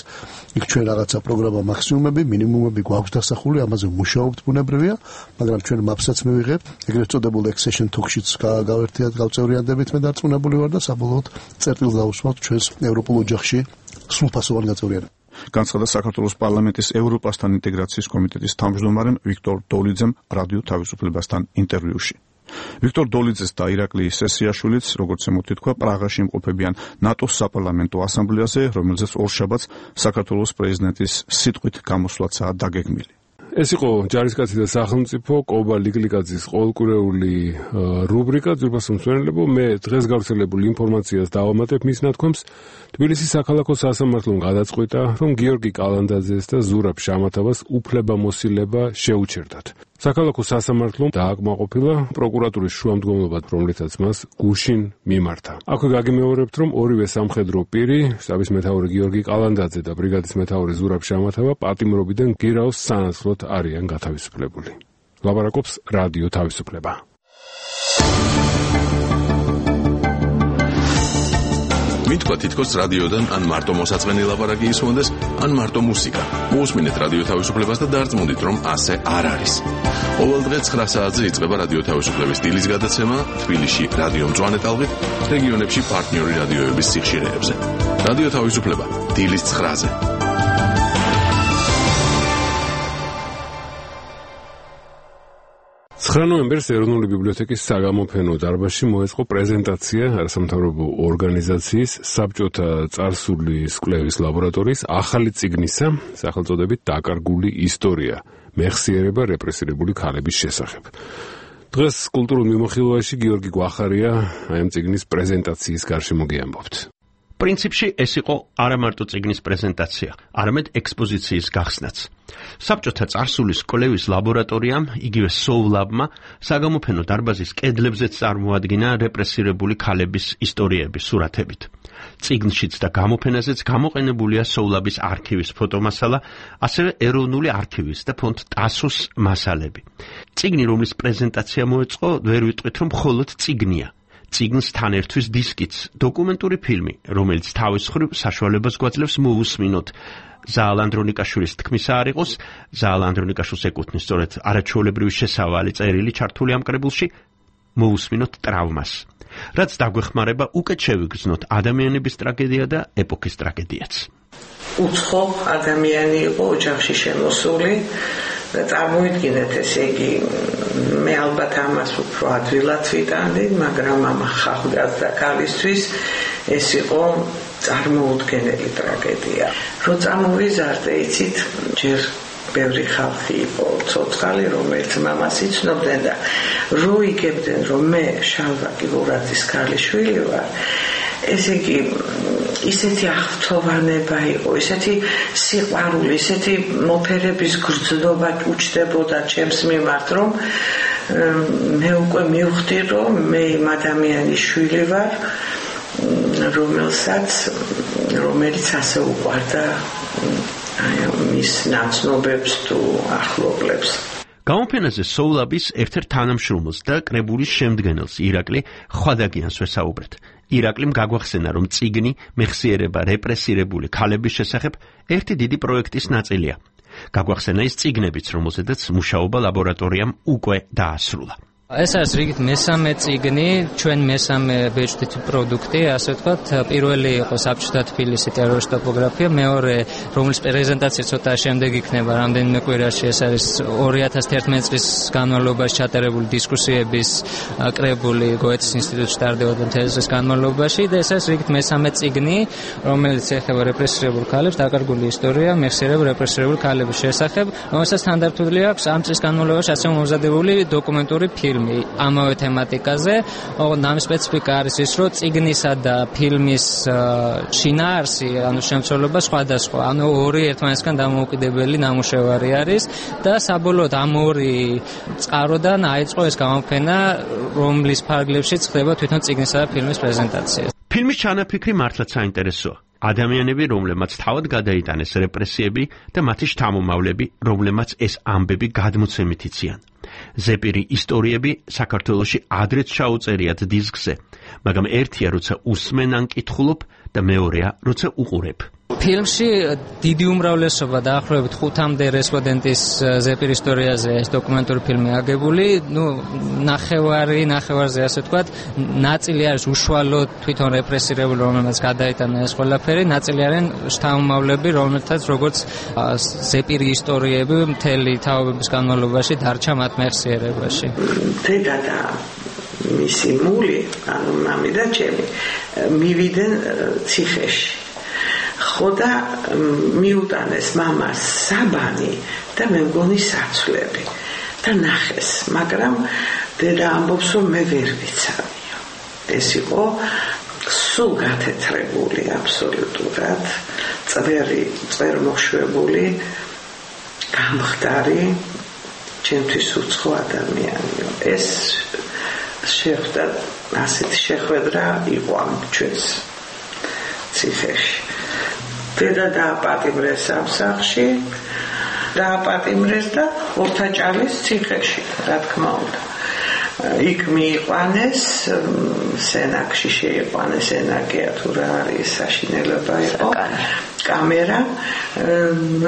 იქ ჩვენ რაღაცა პროგრამა მაქსიმუმები, მინიმუმები გვაქვს დასახული, ამაზე მუშაობთ ბუნებრივია, მაგრამ ჩვენ მაპსაც მივიღებთ, ეგრეთ წოდებულ accession talk-შიც გავერთიათ, გავწევრიანდებით, მე დარწმუნებული ვარ და საბოლოოდ წერტილს დავუსვამთ ჩვენს ევროპულ ოჯახში სრულფასოვანი გაწევრიანება. განცხადა საქართველოს პარლამენტის ევროპასთან ინტეგრაციის კომიტეტის თავმჯდომარემ ვიქტორ დოლიძემ რადიო თავისუფლებასთან ინტერვიუში. ვიქტორ დოლიძეს და ირაკლი სესიაშვილიც, როგორც ემთქვა, პრაღაში იმყოფებიან ნატოს საპარლამენტო ასამბლეაზე, რომელზეც ორშაბათს საქართველოს პრეზიდენტის სიტყვით გამოსვლაცაა დაგეგმილი. ეს იყო ჯარისკაცი და სახელმწიფო კობა ლიკლიკაძის ყოველკვირეული რუბრიკა ძვირფასო მსმენელებო. მე დღეს გავრცელებულ ინფორმაციას დავამატებ მის ნათქვამს. თბილისის საქალაქო სასამართლომ გადაწყვიტა, რომ გიორგი კალანდაძეს და ზურაბ შამათავას უფლებამოსილება შეუჩერდათ. საქალაქო სასამართლომ დააკმაყოფილა პროკურატურის შუამდგომლობა, რომლითაც მას გუშინ მიმართა. აქვე გაგიმეორებთ, რომ ორივე სამხედრო პირი, შტაბის მეთაური გიორგი კალანდაძე და ბრიგადის მეთაური ზურაბ შამათავა პატიმრობიდან გირაოს სანაცვლოდ არიან გათავისუფლებული. ლაპარაკობს რადიო თავისუფლება. მითქვა თითქოს რადიოდან ან მარტო მოსაწყენი ლაპარაკი ისმონდეს, ან მარტო მუსიკა. მოусმინეთ რადიო თავისუფლებას და დარწმუნდით, რომ ასე არ არის. ყოველ დღე 9 საათზე იწყება რადიო თავისუფლების დილის გადაცემა თბილისში რადიო მწვანე ტალღით, რეგიონებში პარტნიორი რადიოების სიხშირეებზე. რადიო თავისუფლება დილის 9-ზე. 9 ნოემბერს ეროვნული ბიბლიოთეკის საგამოფენო დარბაზში მოეწყო პრეზენტაცია არასამთავრობო ორგანიზაციის საბჭოთა წარსულის კვლევის ლაბორატორიის ახალი წიგნისა, სახელწოდებით „დაკარგული ისტორია: მეხსიერება რეპრესირებული ქალების შესახებ“. დღეს კულტურულ მიმოხილვაში გიორგი გვახარია აი ამ წიგნის პრეზენტაციის გარშემო გიამბობთ. პრინციპში ეს იყო არა მარტო წიგნის პრეზენტაცია, არამედ ექსპოზიციის გახსნაც. საბჭოთა წარსულის კვლევის ლაბორატორიამ, იგივე სოვლაბმა, საგამოფენო დარბაზის კედლებზეც წარმოადგინა რეპრესირებული ქალების ისტორიების სურათებით. წიგნშიც და გამოფენაზეც გამოყენებულია სოვლაბის არქივის ფოტომასალა, ასევე ეროვნული არქივის და ფონდ ტასოს მასალები. წიგნი, რომლის პრეზენტაცია მოეწყო, ვერ ვიტყვით, რომ მხოლოდ წიგნია. წიგნს თან ერთვის დისკიც, დოკუმენტური ფილმი, რომელიც თავის მხრივ საშუალებას გვაძლევს მოусმინოთ ზაალ ანდრონიკაშვილის თქმისა არ იყოს, ზაალ ანდრონიკაშვილს ეკუთვნის სწორედ არაჩვეულებრივი შესავალი წერილი ჩართული ამ კრებულში, მოусმინოთ ტრავმას, რაც დაგვეხმარება უკეთ შევიგრძნოთ ადამიანების ტრაგედია და ეპოქის ტრაგედიაც. უცხო ადამიანი იყო ოჯახში შემოსული და წარმოიდგინეთ, ესე იგი, მე ალბათ ამას უფრო ადვილად ვიტანდი, მაგრამ ამ ახალგაზრდა ქალისთვის ეს იყო წარმოუდგენელი ტრაგედია. რო წამოვიზარდე, იცით, ჯერ ბევრი ხალხი იყო ცოცხალი, რომელიც მამას იცნობდნენ და რო იგებდნენ, რომ მე შალვა კიბურაძის ქალიშვილი ვარ, ესე იგი ისეთი აღფრთოვანება იყო, ისეთი სიყვარული, ისეთი მოფერების გრძნობა უჩნდებოდა ჩემს მიმართ, რომ მე უკვე მივხვდი, რომ მე იმ ადამიანის შვილი ვარ, რომელიც ასე უყვარდა მის ნაცნობებს თუ ახლობლებს. გამოფენაზე სოულაბის ერთ-ერთ თანამშრომელს და კრებულის შემდგენელს ირაკლი ხვადაგიანს ვესაუბრეთ. ირაკლიმ გაგვახსენა, რომ წიგნი მეხსიერება რეპრესირებული ქალების შესახებ ერთი დიდი პროექტის ნაწილია. გაგვახსენა ის წიგნებიც, რომელზედაც მუშაობა ლაბორატორიამ უკვე დაასრულა. ეს არის რიგით მესამე წიგნი, ჩვენ მესამე ბეჭდით პროდუქტი, ასე ვთქვათ, პირველი იყო საბჭოთა თბილისი ტერორისტ ტოპოგრაფია, მეორე, რომლის პრეზენტაცია ცოტა შემდეგ იქნება რამდენიმე კვირაში, ეს არის 2011 წლის განმავლობაში ჩატარებული დისკუსიების კრებული გოეთის ინსტიტუტში ტარდებოდა მთელი წლის განმავლობაში და ეს არის რიგით მესამე წიგნი, რომელიც ეხება რეპრესირებულ ქალებს, დაკარგული ისტორია მეხსიერებულ რეპრესირებულ ქალების შესახებ, რომელსაც თანდართული აქვს ამ წლის განმავლობაში ასე მომზადებული დოკუმენტური ფილმი ამავე თემატიკაზე. ამ სპეციფიკა არის ის, რომ წიგნისა და ფილმის შინაარსი, ანუ შემცველობა სხვადასხვა, ანუ ორი ერთმანეთისგან დამოუკიდებელი ნამუშევარი არის და საბოლოოდ ამ ორი წყაროდან აიწყო ეს გამოფენა, რომლის ფარგლებშიც ხდება თვითონ წიგნისა და ფილმის პრეზენტაცია. ფილმის ჩანაფიქრი მართლაც საინტერესოა. ადამიანები, რომლებმაც თავად გადაიტანეს რეპრესიები და მათი შთამომავლები, რომლებმაც ეს ამბები გადმოცემით იციან. ზეპირი ისტორიები საქართველოში ადრეც ჩაუწერიათ დისკზე, მაგრამ ერთია, როცა უსმენ ან კითხულობ და მეორეა, როცა უყურებ. ფილმში დიდი უმრავლესობა დაახლოებით 5-მდე რესპონდენტის ზეპირ ისტორიაზე ეს დოკუმენტური ფილმი აგებული, ნახევარზე ასე ვთქვათ, ნაწილი არის უშუალოდ თვითონ რეპრესირებული, რომელმაც გადაიტანა ეს ყველაფერი, ნაწილი არიან შთამომავლები, რომელთაც როგორც ზეპირი ისტორიები მთელი თაობების განმავლობაში დარჩა მათ მეხსიერებაში. დედა და მისი მული, ანუ მამი და ჩემი, მივიდნენ ციხეში. ხო და მიუტანეს მამას საბანი და მე მგონი საცვლები და ნახეს, მაგრამ დედა ამბობს, რომ მე ვერ ვიცავიო. ეს იყო სულ გათეთრებული აბსოლუტურად, წვერმოშვებული, გამხდარი, ჩემთვის უცხო ადამიანიო. ეს შეხვდა, ასეთი შეხვედრა იყო ამ ჩვენს ციხეში. დედა დააპატიმრეს ამ სახლში, დააპატიმრეს და ორთაჭალის ციხეში, რა თქმა უნდა. იქ მიიყვანეს, სენაკში შეიყვანეს, სენაკია თუ რა არის, საშინელება იყო, კამერა,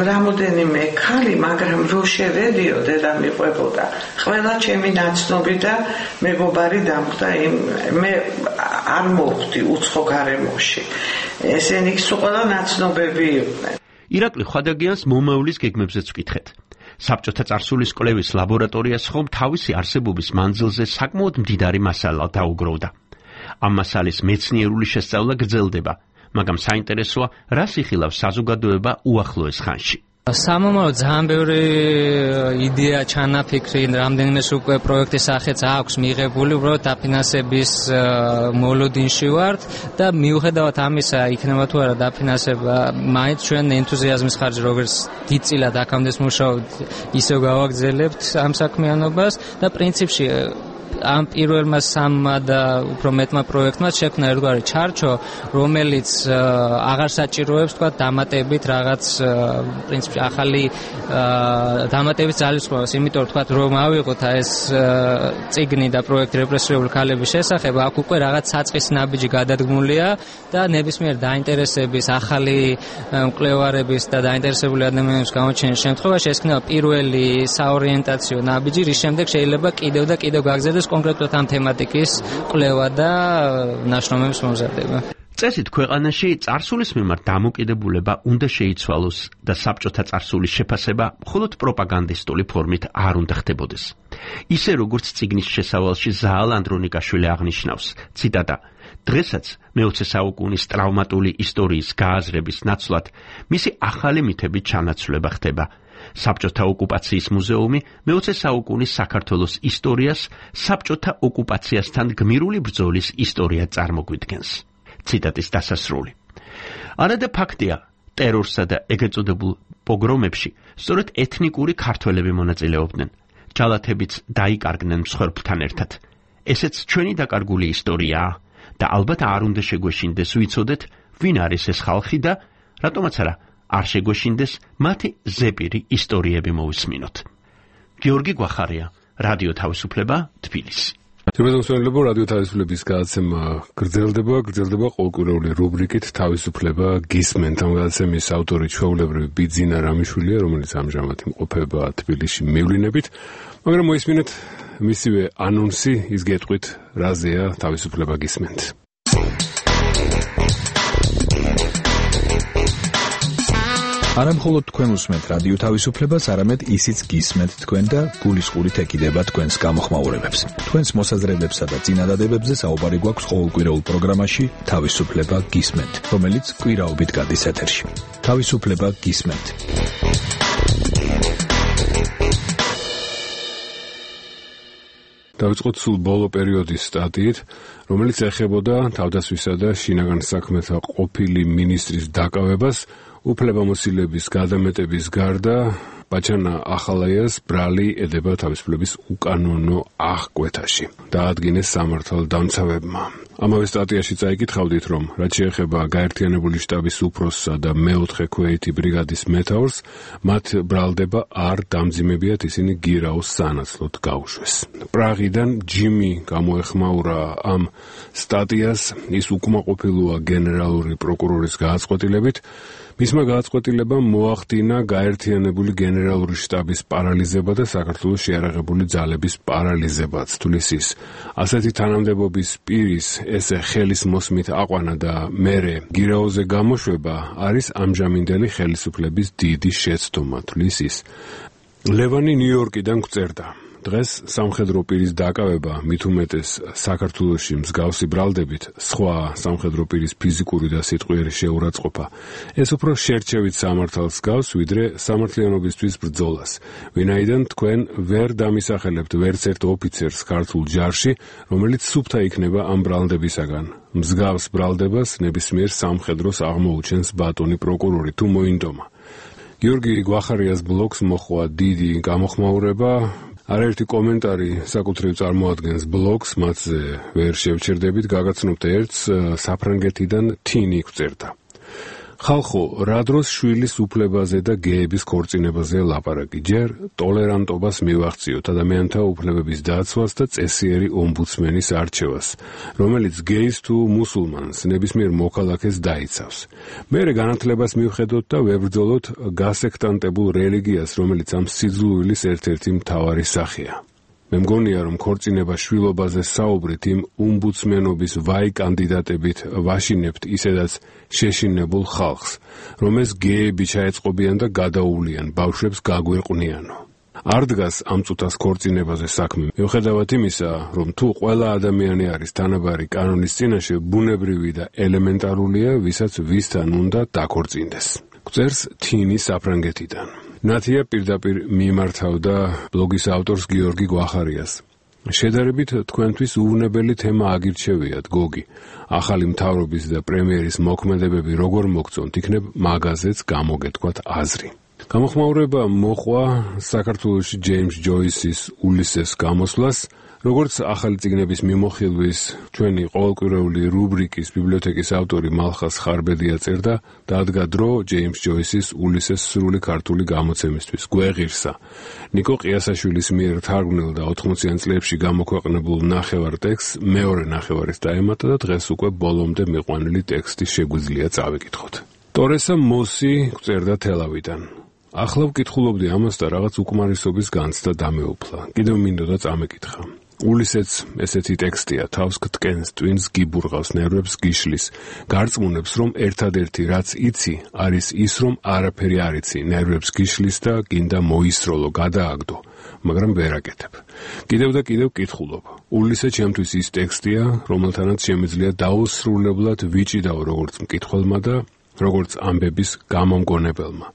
რამოდენიმე ქალი, მაგრამ რო შევედიო, დედა მიყვებოდა. ყველა ჩემი ნაცნობი და მეგობარი დამხდა, მე არ მოვხვდი უცხო გარემოში. ესენი ყველა ნაცნობები იყვნენ. ირაკლი ხვადაგიანს მომავლის გეგმებზეც ვკითხეთ. საბჭოთა წარსულის კვლევის ლაბორატორიას ხომ თავისი არსებობის მანძილზე საკმაოდ მდიდარი მასალა დაუგროვდა. ამ მასალის მეცნიერული შესწავლა გრძელდება, მაგრამ საინტერესოა, რას იხილავს საზოგადოება უახლოეს ხანში. სამომავლოდ ძალიან ბევრი იდეა, ჩანაფიქრი, რამდენიმეს უკვე პროექტის სახეც აქვს მიღებული, უბრალოდ დაფინანსების მოლოდინში ვართ და მიუხედავად ამისა, იქნება თუ არა დაფინანსება, მაინც ჩვენ ენთუზიაზმის ხარჯზე როგორც დიდწილად აქამდე მუშაობთ, ისევ გავაგრძელებთ ამ საქმიანობას და პრინციპში ამ პირველმა სამმა და უფრო მეტმა პროექტმა შექმნა ერთგვარი ჩარჩო, რომელიც აღარ საჭიროებს, თქვა, დამატებით რაღაც პრინციპში ახალი დამატებით ძალისხმევას, იმიტომ თქვა, რომ ავიღოთ ეს წიგნი და პროექტი რეპრესირებული ქალების შესახებ, აქ უკვე რაღაც საწყის ნაბიჯი გადადგმულია და ნებისმიერ დაინტერესების, ახალი მკვლევარების და დაინტერესებული ადამიანების გამოჩენის შემთხვევაში ეს იქნება პირველი საორიენტაციო ნაბიჯი, რის შემდეგ შეიძლება კიდევ და კიდევ გაგრძელდეს კონკრეტულად ამ თემატიკის კვლევა და ნაშრომების მომზადება. წესით ქვეყანაში წარსულის მიმართ დამოკიდებულება უნდა შეიცვალოს და საბჭოთა წარსულის შეფასება მხოლოდ პროპაგანდისტული ფორმით არ უნდა ხდებოდეს. ისე როგორც წიგნის შესავალში ზაალ ანდრონიკაშვილი აღნიშნავს, ციტატა: დღესაც მე-20 საუკუნის ტრავმატული ისტორიის გააზრების ნაცვლად მისი ახალი მითებით ჩანაცვლება ხდება. საბჭოთა ოკუპაციის მუზეუმი მე-20 საუკუნის საქართველოს ისტორიას საბჭოთა ოკუპაციასთან გმირული ბრძოლის ისტორიად წარმოგვიდგენს. ციტატის დასასრული. არადა ფაქტია, ტერორსა და ეგრეთ წოდებულ პოგრომებში სწორედ ეთნიკური ქართველები მონაწილეობდნენ. ჯალათებიც დაიკარგნენ მსხვერპლთან ერთად. ესეც ჩვენი დაკარგული ისტორიაა და ალბათ არ უნდა შეგვეშინდეს ვიცოდეთ, ვინ არის ეს ხალხი და რატომაც არა არ შეგვეშინდეს მათი ზეპირი ისტორიები მოვისმინოთ. გიორგი გვახარია, რადიო თავისუფლება, თბილისი. შემოგვიყვება რადიო თავისუფლების გადაცემა გრძელდება ყოველკვირეული რუბრიკით თავისუფლება გისმენთ. ამ გადაცემის ავტორი ჩვეულებრივი ბიძინა რამიშვილია, რომელიც ამჟამად იმყოფება თბილისში მივლინებით, მაგრამ მოისმინეთ მისივე ანონსი, ის გეტყვით რაზეა თავისუფლება გისმენთ. არა მხოლოდ თქვენ უსმენთ რადიო თავისუფლებას, არამედ ისიც გისმენთ თქვენ და გულისყურით ეკიდება თქვენს გამოხმაურებებს. თქვენს მოსაზრებებსა და წინადადებებზე საუბარი გვაქვს ყოველკვირეულ პროგრამაში თავისუფლება გისმენთ, რომელიც კვირაობით გადის ეთერში. თავისუფლება გისმენთ. დავიწყოთ სულ ბოლო პერიოდის სტატიით, რომელიც ეხებოდა თავდასხმისა და შინაგან საქმეთა ყოფილი მინისტრის დაკავებას უფლებამოსილების გადამეტების გარდა ბაჩანა ახალაიას ბრალი ედება თავისუფლების უკანონო აღკვეთაში. დაადგინეს სამართალდამცავებმა. ამავე სტატიაში წაიკითხავდით, რომ რაც შეეხება გაერთიანებული შტაბის უფროსსა და მე-4 ქვეითი ბრიგადის მეთაურს, მათ ბრალდება არ დამძიმებიათ, ისინი გირაოს სანაცვლოდ გაუშვეს. პრაღიდან ჯიმი გამოეხმაურა ამ სტატიას, ის უკმაყოფილოა გენერალური პროკურორის გააწყვეტილებით. მისმა გააწყვეტილებამ მოახდინა გაერთიანებული გენერალური შტაბის პარალიზება და საქართველოს შეიარაღებული ძალების პარალიზებაც. თulis ის ასეთი თანამდებობის პირის ესე ხელის მოსმით აყვანა და მერე გირაოზე გამოშვება არის ამჟამინდელი ხელისუფლების დიდი შეცდომა. თulis ის ლევანი ნიუ-იორკიდან გვწერდა. დღეს სამხედრო პირის დაკავება, მით უმეტეს საქართველოში მსგავსი ბრალდებით, სხვა სამხედრო პირის ფიზიკური და სიტყვიერი შეურაცხყოფა, ეს უფრო შერჩევით სამართალს გავს, ვიდრე სამართლიანობისთვის ბრძოლას. ვინაიდან თქვენ ვერ დამისახელებთ ვერც ერთ ოფიცერს ქართულ ჯარში, რომელიც სუფთა იქნება ამ ბრალდებისაგან. მსგავს ბრალდებას ნებისმიერ სამხედროს აღმოუჩენს ბატონი პროკურორი, თუ მოინდომა. გიორგი გვახარიას ბლოგს მოხვა დიდი გამოხმაურება. არაერთი კომენტარი საკუთრივ წარმოადგენს ბლოგს, მათზე ვერ შევჩერდებით, გაგაცნობთ ერთს, საფრანგეთიდან თინი გვწერდა. ხალხო, რა დროს შვილის უფლებაზე და გეების ქორწინებაზე ლაპარაკი, ჯერ ტოლერანტობას მივახციოთ ადამიანთა უფლებების დაცვას და წესიერი ომბუდსმენის არჩევას, რომელიც გეის თუ მუსულმანს ნებისმიერ მოქალაქეს დაიცავს. მერე განათლებას მივხედოთ და ვებრძოლოთ გასექტანტებულ რელიგიას, რომელიც ამ სიძულვილის ერთ-ერთი მთავარი სახეა. მე მგონია, რომ ქორწინება შვილობაზე საუბრით იმ ომბუდსმენობის ვაი კანდიდატებით ვაშინებთ ისედაც შეშინებულ ხალხს, რომ ეს გეები ჩაეწყობიან და გადაუვლიან, ბავშვებს გაგვეყვნიანო. არ დგას ამ წუთას ქორწინებაზე საქმე, მიუხედავად იმისა, რომ თუ ყველა ადამიანი არის თანაბარი კანონის წინაშე, ბუნებრივი და ელემენტარულია, ვისაც ვისთან უნდა დაქორწინდეს. გვწერს თინი საფრანგეთიდან. ნათია პირდაპირ მიმართავდა ბლოგის ავტორს გიორგი გვახარიას. შედარებით თქვენთვის უვნებელი თემა აგირჩევიათ, გოგი. ახალი მთავრობის და პრემიერის მოქმედებები როგორ მოგწონთ, იქნებ მაგაზეც გამოგეთქვათ აზრი. გამოხმაურება მოყვა საქართველოში ჯეიმს ჯოისის ულისეს გამოსვლას, როგორც ახალი წიგნების მიმოხილვის ჩვენი ყოველკვირეული რუბრიკის ბიბლიოთეკის ავტორი მალხას ხარბედია წერდა, დადგა დრო ჯეიმს ჯოისის ულისეს სრული ქართული გამოცემისთვის. გვეღირსა. ნიკო ყიასაშვილის მიერ თარგმნილ და 80-იან წლებში გამოქვეყნებულ ნახევარ ტექსტს მეორე ნახევარის დაემატა და დღეს უკვე ბოლომდე მიყვანილი ტექსტი შეგვიძლია წავიკითხოთ. ტორესა მოსი გვწერდა თელავიდან. ახლა ვკითხულობდი ამას და რაღაც უკმარისობის განცდა დამეუფლა. კიდევ მინდოდა წამეკითხა. ულისეც ესეთი ტექსტია, თავს გტკენს, ტვინს გიბურღავს, ნერვებს გიშლის, გარწმუნებს, რომ ერთადერთი რაც იცი, არის ის, რომ არაფერი არ იცი, ნერვებს გიშლის და გინდა მოისროლო, გადააგდო, მაგრამ ვერ აკეთებ. კიდევ და კიდევ კითხულობ. ულისე ჩემთვის ის ტექსტია, რომელთანაც შემიძლია დაუსრულებლად ვიჭიდაო როგორც მკითხველმა და როგორც ამბების გამომგონებელმა.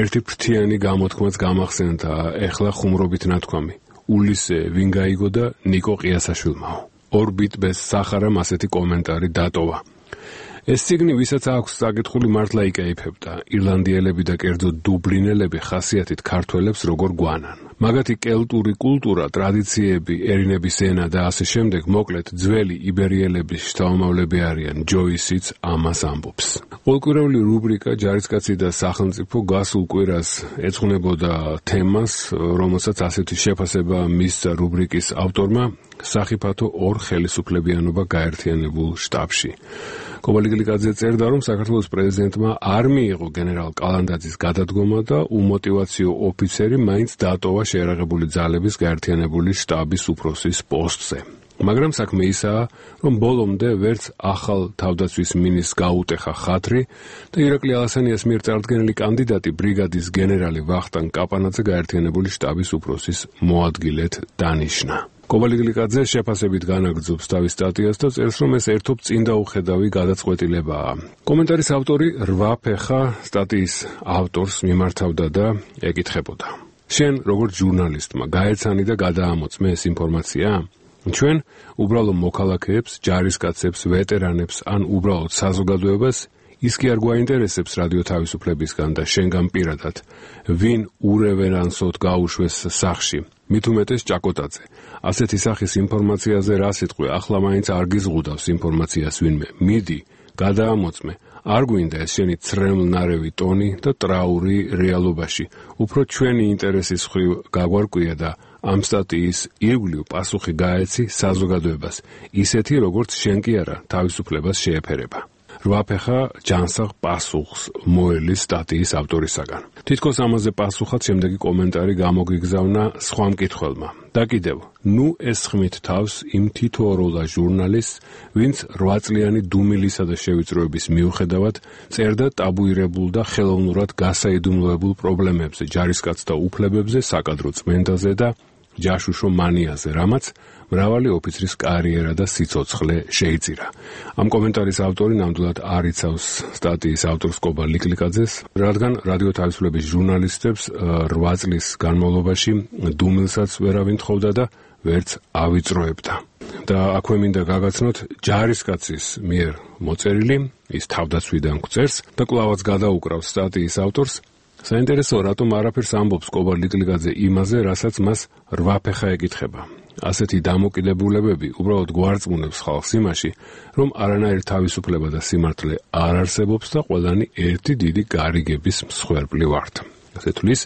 ერთი ფრთიანი გამოთქმაც გამახსენდა, ეხლა ხუმრობით ნათქვამი. ულისე ვინ გაიგო და ნიკო ყიასაშვილმაო. ორბიტ ბესტსახარამ ასეთი კომენტარი დატოვა. ეს ციგნი ვისაც აქვს საკითხული მართლა იკაიფებდა. ირლანდიელები და კერძოდ დუბლინელები ხასიათით ქართველებს როგორ გვანან. მაგათი კელტური კულტურა, ტრადიციები, ერინების ენა და ასე შემდეგ, მოკლედ ძველი იბერიელების შთამომავლები არიან. ჯოისიც ამას ამბობს. ყოველკვირეული რუბრიკა ჯარისკაცი და სახელმწიფო გასულ კვირას ეძღვნებოდა თემას, რომელსაც ასეთი შეფასება მისცა რუბრიკის ავტორმა სახიფათო ორ ხელისუფლებიანობა გაერთიანებულ შტაბში. კობალიგლიკაძე წერდა, რომ საქართველოს პრეზიდენტმა არ მიიღო გენერალ კალანდაძის გადადგომა და უმოტივაციო ოფიცერი მაინც დატოვა შეერაღებული ძალების გაერთიანებული შტაბის უფროსის პოსტზე. მაგრამ საქმე ისაა, რომ ბოლომდე ვერც ახალ თავდაცვის მინისტრს გაუტეხა ხათრი და ირაკლი ალასანიას მიერ წარდგენილი კანდიდატი ბრიგადის გენერალი ვახტანგ კაპანაძე გაერთიანებული შტაბის უფროსის მოადგილედ დანიშნა. კობალიგლიკაძე შეფასებით განაგრძობს თავის სტატიას და წერს, რომ ეს ერთობ წინდაუხედავი გადაწყვეტილებაა. კომენტარის ავტორი 8 ფეხა სტატიის ავტორს მიმართავდა და ეკითხებოდა. შენ როგორც ჟურნალისტმა გაეცანი და გადაამოწმე ეს ინფორმაცია? ჩვენ უბრალო მოქალაქეებს, ჯარისკაცებს, ვეტერანებს ან უბრალოდ საზოგადოებას ის კი არ გვაინტერესებს რადიო თავისუფლებისგან და შენგან პირადად, ვინ ურევერანსოდ გაუშვეს სახში. მით უმეტეს ჭაკოტაძე. ასეთი სახის ინფორმაციაზე რა სიტყვი, ახლა მაინც არ გიზღუდავს ინფორმაციას ვინმე. მიდი, გადაამოწმე. არ გვინდა ეს შენი ცრემლნარევი ტონი და ტრაური რეალობაში. უფრო ჩვენი ინტერესის მხრივ გაგვარკვია და ამ სტატიის ირგვლივ პასუხი გაეცი საზოგადოებას, ისეთი როგორც შენ კი არა თავისუფლებას შეეფერება. 8 ფეხა ჯანსაღ პასუხს მოელის სტატიის ავტორისაგან. თითქოს ამაზე პასუხად შემდეგი კომენტარი გამოგიგზავნა სხვა მკითხველმა. და კიდევ, ნუ ესხმით თავს იმ თითოეულა ჟურნალისტს, ვინც 8 წლიანი დუმილისა და შევიწროების მიუხედავად წერდა ტაბუირებულ და ხელოვნურად გასაიდუმლოებულ პრობლემებზე, ჯარისკაცთა უფლებებზე, საკადრო წმენდაზე და ჯაშუშო მანიაზე, რამაც მრავალი ოფიცრის კარიერა და სიცოცხლე შეიწირა. ამ კომენტარის ავტორი ნამდვილად არ იცავს სტატიის ავტორს კობალიგლიკაძეს, რადგან რადიო თავისუფლების ჟურნალისტებს 8 წლის განმავლობაში დუმილსაც ვერავინ თხოვდა და ვერც ავიწროებდა. და აქვე მინდა გაგაცნოთ ჯარისკაცის მიერ მოწერილი, ის თავდაცვიდან გვწერს და კვლავაც გადაუკრავს სტატიის ავტორს. საინტერესოა, რატომ არაფერს ამბობს კობალიგლიკაძე იმაზე, რასაც მას 8 ფეხა ეკითხება. ასეთი დამოკიდებულებები უბრალოდ გვარწმუნებს ხალხს იმაში, რომ არანაირი თავისუფლება და სიმართლე არ არსებობს და ყველანი ერთი დიდი გარიგების მსხვერპლი ვართ. ასე თulis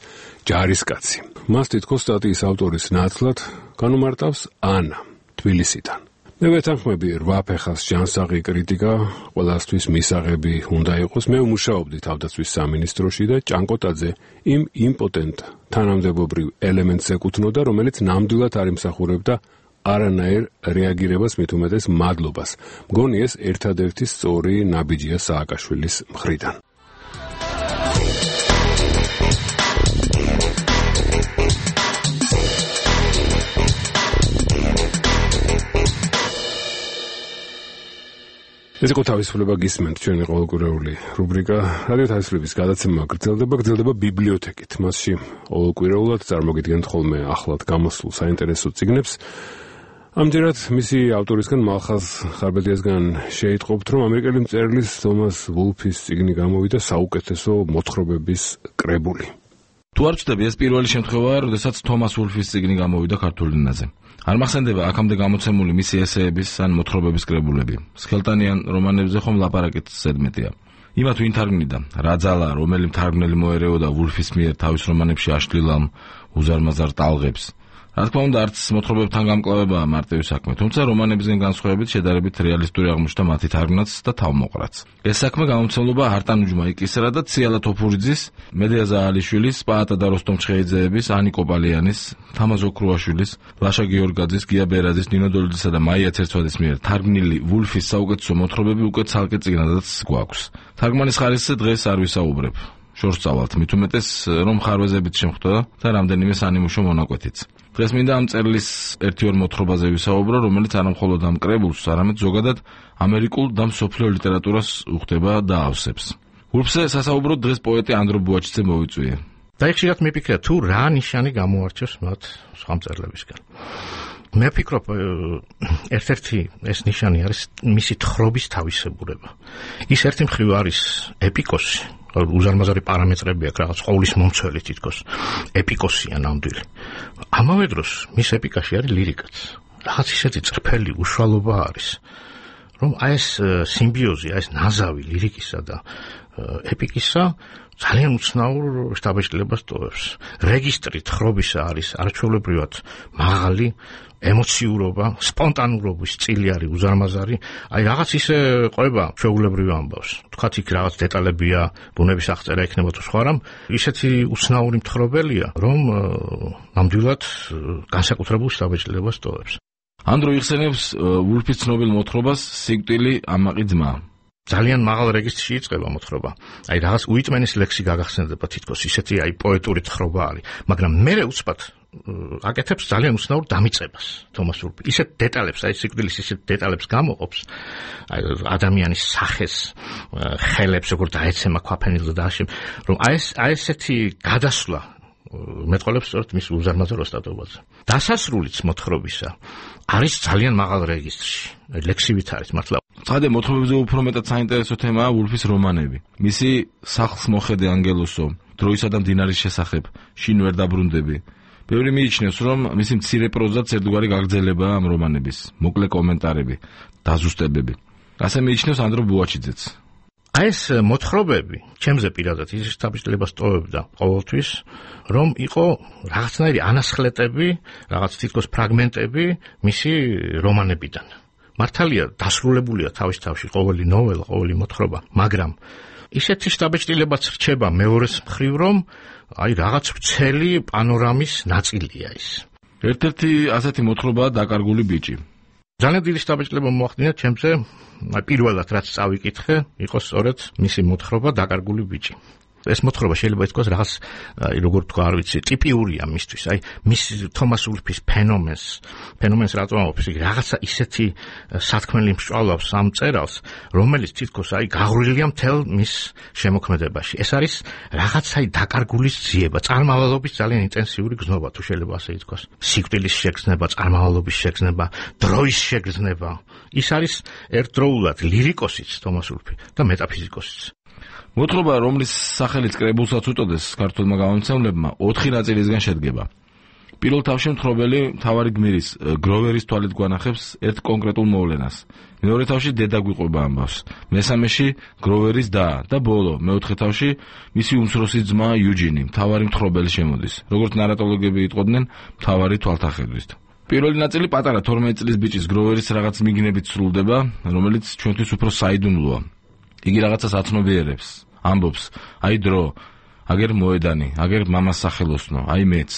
ჯარისკაცი. მას თითქოს სტატიის ავტორის ნაცვლად განუმარტავს ანა თბილისიდან. მე ვეთანხმები 8 ფეხას ჯანსაღი კრიტიკა ყველასთვის მისაღები უნდა იყოს. მე ვმუშაობდი თავდაცვის სამინისტროში და ჭანკოტაძე იმ იმპოტენტ თანამდებობრივ ელემენტს ეკუთვნოდა, რომელიც ნამდვილად არ იმსახურებდა არანაირ რეაგირებას, მით უმეტეს მადლობას. მგონი ეს ერთადერთი სწორი ნაბიჯია სააკაშვილის მხრიდან. ეს იყო თავისუფლება გისმენთ, ჩვენი ყოველკვირეული რუბრიკა. რადიო თავისუფლების გადაცემა გრძელდება ბიბლიოთეკით. მასში ყოველკვირეულად წარმოგიდგენთ ხოლმე ახლად გამოსულ საინტერესო წიგნებს. ამჯერად მისი ავტორისგან მალხაზ ხარბედიასგან შეიტყობთ, რომ ამერიკელი მწერლის თომას ვულფის წიგნი გამოვიდა საუკეთესო მოთხრობების კრებული. თუ არ ვწდები, ეს პირველი შემთხვევაა, როდესაც თომას ვულფის წიგნი გამოვიდა ქართულ ენაზე. არ მახსენდება აქამდე გამოცემული მისი ესეების ან მოთხრობების კრებულები. სქელტანიან რომანებზე ხომ ლაპარაკით ზედმეტია. იმათ ვინ თარგმნიდა, რა ძალა, რომელი მთარგმნელი მოერეოდა ვულფის მიერ თავის რომანებში აშლილ ამ უზარმაზარ ტალღებს. რა თქმა უნდა, არც მოთხრობებთან გამკლავებაა მარტივი საქმე, თუმცა რომანებისგან განსხვავებით შედარებით რეალისტური აღმოჩნდა მათი თარგმნაც და თავმოყრაც. ეს საქმე გამომცემლობა არტანუჯმა იკისრა და ციალა თოფურიძის, მედია ზაალიშვილის, პაატა და როსტომ ჩხეიძეების, ანი კოპალიანის, თამაზ ოქრუაშვილის, ლაშა გიორგაძის, გია ბერაძის, ნინო დოლიძისა და მაია ცერცვაძის მიერ თარგმნილი ვულფის საუკეთესო მოთხრობები უკვე ცალკე წიგნადაც გვაქვს. თარგმანის ხარისხზე დღეს არ ვისაუბრებ. შორს წავალთ, მით უმეტეს რომ ხარვეზებით შემხვდა და რამდენიმე სანიმუშო მონაკვეთიც. დღეს მინდა ამ წერილის ერთი-ორ მოთხრობაზე ვისაუბრო, რომელიც არა მხოლოდ ამ კრებულს, არამედ ზოგადად ამერიკულ და მსოფლიო ლიტერატურას უხდება და ავსებს. ვულფზე სასაუბროდ დღეს პოეტი ანდრო ბუაჩიძე მოვიწვია. და ხშირად მიფიქრე თუ რა ნიშანი გამოარჩევს მათ სხვა მწერლებისგან. მე ვფიქრობ, ერთ-ერთი ეს ნიშანი არის მისი თხრობის თავისებურება. ის ერთი მხრივ არის ეპიკოსი, უზარმაზარი პარამეტრები აქვს, რაღაც ყოვლის მომცველი თითქოს ეპიკოსია ნამდვილი. ამავე დროს მის ეპიკაში არის ლირიკაც. რაღაც ისეთი წრფელი უშუალობა არის, რომ აი ეს სიმბიოზი, აი ეს ნაზავი ლირიკისა და ეპიკისა ძალიან უცნაურ შთაბეჭდილებას ტოვებს. რეგისტრი თხრობისა არის არჩევლებრივად მაღალი, ემოციურობა, სპონტანურობის წილი არის უზარმაზარი. აი რაღაც ისე ყვება ჩვეულებრივ ამბავს. თქვათ იქ რაღაც დეტალებია, ბუნების აღწერა იქნება თუ სხვა რამ, ისეთი უცნაური მთხრობელია, რომ ნამდვილად განსაკუთრებულ შთაბეჭდილებას ტოვებს. ანდრო იხსენებს ვულფის ცნობილ მოთხრობას სიკვდილი ამაყი ძმა. ძალიან მაღალ რეგისტრში იწყება მოთხრობა. აი რაღაც უიტმენის ლექსი გაგახსენდება თითქოს, ისეთი აი პოეტური თხრობა არის, მაგრამ მერე უცბად აკეთებს ძალიან უცნაურ დამიწებას თომას ვულფი. ისეთ დეტალებს, აი სიკვდილის ისეთ დეტალებს გამოყოფს, აი ადამიანის სახეს, ხელებს როგორ დაეცემა ქვაფენილზე და ასე, რომ აი ესეთი გადასვლა მეტყოლებს სწორედ მის უზარმაზარ ოსტატობაზე. დასასრულიც მოთხრობისა არის ძალიან მაღალ რეგისტრში. ლექსივით არის მართლა. ცხადე მოთხრობებზე უფრო მეტად საინტერესო თემაა ვულფის რომანები. მისი სახლს მოხედე ანგელოსო, დროისა და მდინარის შესახებ, შინ ვერ დაბრუნდები. ბევრი მიიჩნევს, რომ მისი მცირე პროზაც ერთგვარი გაგრძელებაა ამ რომანების, მოკლე კომენტარები, დაზუსტებები. ასე მიიჩნევს ანდრო ბუაჩიძეც. აი ეს მოთხრობები, ჩემზე პირადად ის შთაბეჭდილებას ტოვებდა ყოველთვის, რომ იყო რაღაცნაირი ანასხლეტები, რაღაც თითქოს ფრაგმენტები მისი რომანებიდან. მართალია, დასრულებულია თავში ყოველი ნოველა, ყოველი მოთხრობა, მაგრამ ისეთი შთაბეჭდილებაც რჩება მეორეს მხრივ, რომ აი რაღაც ვრცელი პანორამის ნაწილია ის. ერთ-ერთი ასეთი მოთხრობაა დაკარგული ბიჭი. ძალიან დიდი შთაბეჭდილება მოახდინა ჩემზე, პირველად რაც წავიკითხე, იყო სწორედ მისი მოთხრობა დაკარგული ბიჭი. ეს მოთხრობა შეიძლება ითქვას რაღაც როგორ თქვა, არ ვიცი, ტიპიურია მისთვის. აი მის თომას ვულფის ფენომენს რატომ ამბობს? რაღაცა ისეთი სათქმელი მსწავლავს ამ წერალს, რომელიც თითქოს აი გაღრულია მთელ მის შემოქმედებაში. ეს არის რაღაცა დაკარგულის ძიება, წარმავალობის ძალიან ინტენსიური გზნობა, თუ შეიძლება ასე ითქვას. სიკვდილის შეგრძნება, წარმავალობის შეგრძნება, დროის შეგრძნება. ის არის ერთდროულად ლირიკოსიც თომას ვულფი და მეტაფიზიკოსიც. მოთხრობა, რომლის სახელიც კრებულსაც უწოდეს ქართულმა გამომცემლებმა, 4 ნაწილისგან შედგება. პირველ თავში მთხრობელი მთავარი გმირის გროვერის თვალით გვანახებს ერთ კონკრეტულ მოვლენას. მეორე თავში დედა გვიყვება ამბავს. მესამეში გროვერის და ბოლო მეოთხე თავში მისი უმცროსი ძმა იუჯინი, მთავარი მთხრობელი შემოდის. როგორც ნარატოლოგები იტყოდნენ, მთავარი თვალთახედვით. პირველი ნაწილი პატარა 12 წლის ბიჭის გროვერის რაღაც მიგნებით სრულდება, რომელიც ჩვენთვის უფრო საიდუმლოა. იგი რაღაცას აცნობიერებს, ამბობს, აი დრო, აგერ მოედანი, აგერ მამას სახელოსნო, აი მეც.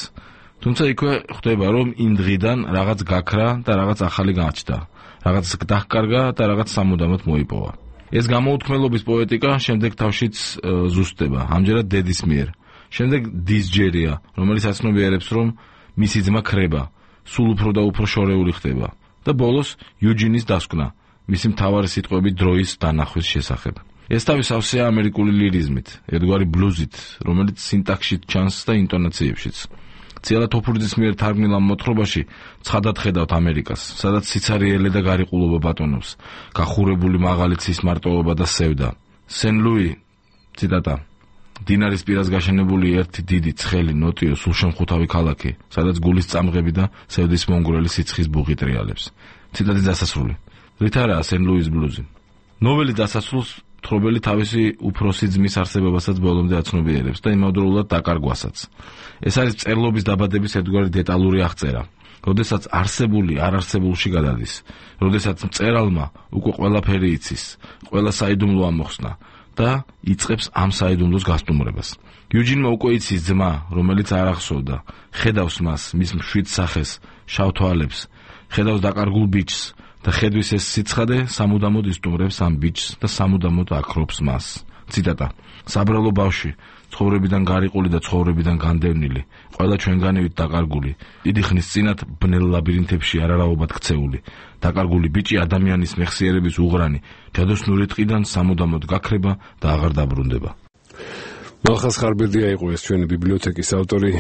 თუმცა იქვე ხვდება, რომ იმ დღიდან რაღაც გაქრა და რაღაც ახალი გაჩნდა, რაღაც დაჰკარგა და რაღაც სამუდამოდ მოიპოვა. ეს გამოუთქმელობის პოეტიკა შემდეგ თავშიც ზუსტდება, ამჯერად დედის მიერ. შემდეგ დის ჯერია, რომელიც აცნობიერებს, რომ მისი ძმა ქრება, სულ უფრო და უფრო შორეული ხდება და ბოლოს იუჯინის დასკვნა. მისი მთავარი სიტყვები დროის დანახვის შესახებ. ეს თავის ავსეა ამერიკული ლირიზმით, ერთგვარი ბლუზით, რომელიც სინტაქსში ჩანს და ინტონაციებშიც. ციალა თოფურიძის მიერ თარგმნილ ამ მოთხრობაში ცხადად ხედავთ ამერიკას, სადაც სიცარიელე და გარიყულობა ბატონობს, გახურებული მაღალი ცის მარტოობა და სევდა. სენ-ლუი, ციტატა, დინარის პირას გაშენებული ერთი დიდი, ცხელი, ნოტიო, სულშემხუთავი ქალაქი, სადაც გულის წამღები და სევდის მონგრელი სიცხის ბუღი ტრიალებს. ციტატის დასასრული. რით არაა სენ-ლუის ბლუზი? ნოველის დასასრულს მთხრობელი თავისი უფროსი ძმის არსებობასაც ბოლომდე აცნობიერებს და იმავდროულად დაკარგვასაც. ეს არის მწერლობის დაბადების ერთგვარი დეტალური აღწერა. როდესაც არსებული არარსებულში გადადის, როდესაც მწერალმა უკვე ყველაფერი იცის, ყველა საიდუმლო ამოხსნა და იწყებს ამ საიდუმლოს გასტუმრებას. იუჯინმა უკვე იცის ძმა, რომელიც არ ახსოვდა, ხედავს მას, მის მშვიდ სახეს, შავ თვალებს, ხედავს დაკარგულ ბიჭს და ხედვის ეს სიცხადე სამუდამოდ ისტუმრებს ამ ბიჭს და სამუდამოდ აქრობს მას. ციტატა: საბრალო ბავშვი, ცხოვრებიდან გარიყული და ცხოვრებიდან განდევნილი, ყველა ჩვენგანივით დაკარგული, დიდი ხნის წინათ ბნელ ლაბირინთებში არარავად ქცეული, დაკარგული ბიჭი ადამიანის მეხსიერების უღრანი, ჯადოსნური ტყიდან სამუდამოდ გაქრება და აღარ დაბრუნდება. მალხას ხარბერდია იყო ეს ჩვენი ბიბლიოთეკის ავტორი.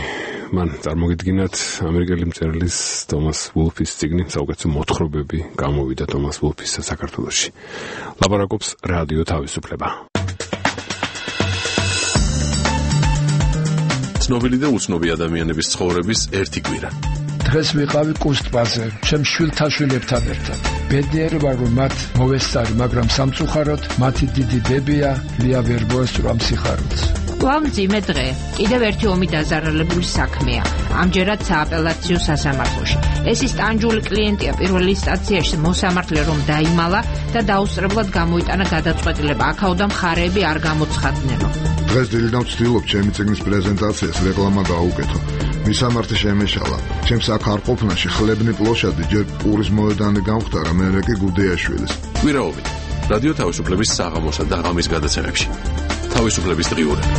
მან წარმოგიდგინათ ამერიკელი მწერლის თომას ვულფის წიგნი საუკეთესო მოთხრობები გამოვიდა თომას ვულფის საქართველოში. ლაპარაკობს რადიო თავისუფლება. ცნობილი და უცნობი ადამიანების ცხოვრების ერთი კვირა. დღეს ვიყავი კუსტბაზე, ჩემ შვილთან შვილებთან ერთად. ბედნიერი ვარ, რომ მათ მოვესწარი, მაგრამ სამწუხაროდ მათი დიდი ბებია ლია ვერ მოესწრო ამ სიხარულს. კვლავ მძიმე დღე. კიდევ ერთი ომი დაზარალებული საქმეა. ამჯერად სააპელაციო სასამართლოში. ეს ის ტანჯული კლიენტია პირველი ინსტანციაში მოსამართლე რომ დაიმალა და დაუსწრებლად გამოიტანა გადაწყვეტილება. აქაოდა მხარეები არ გამოცხადნენო. დღეს დილიდან ვცდილობ ჩემი წიგნის პრეზენტაციას რეკლამა გაუკეთო. მისამართი შემეშალა. ჩემს აქ არ ყოფნაში ხლებნი პლოშადი ჯერ პურის მოედანი გამختარა, მერე კი გუდეაშვილის. კვირაობით რადიო თავისუფლების საღამოსა და ღამის გადაცემებში. თავისუფლების დღიურები.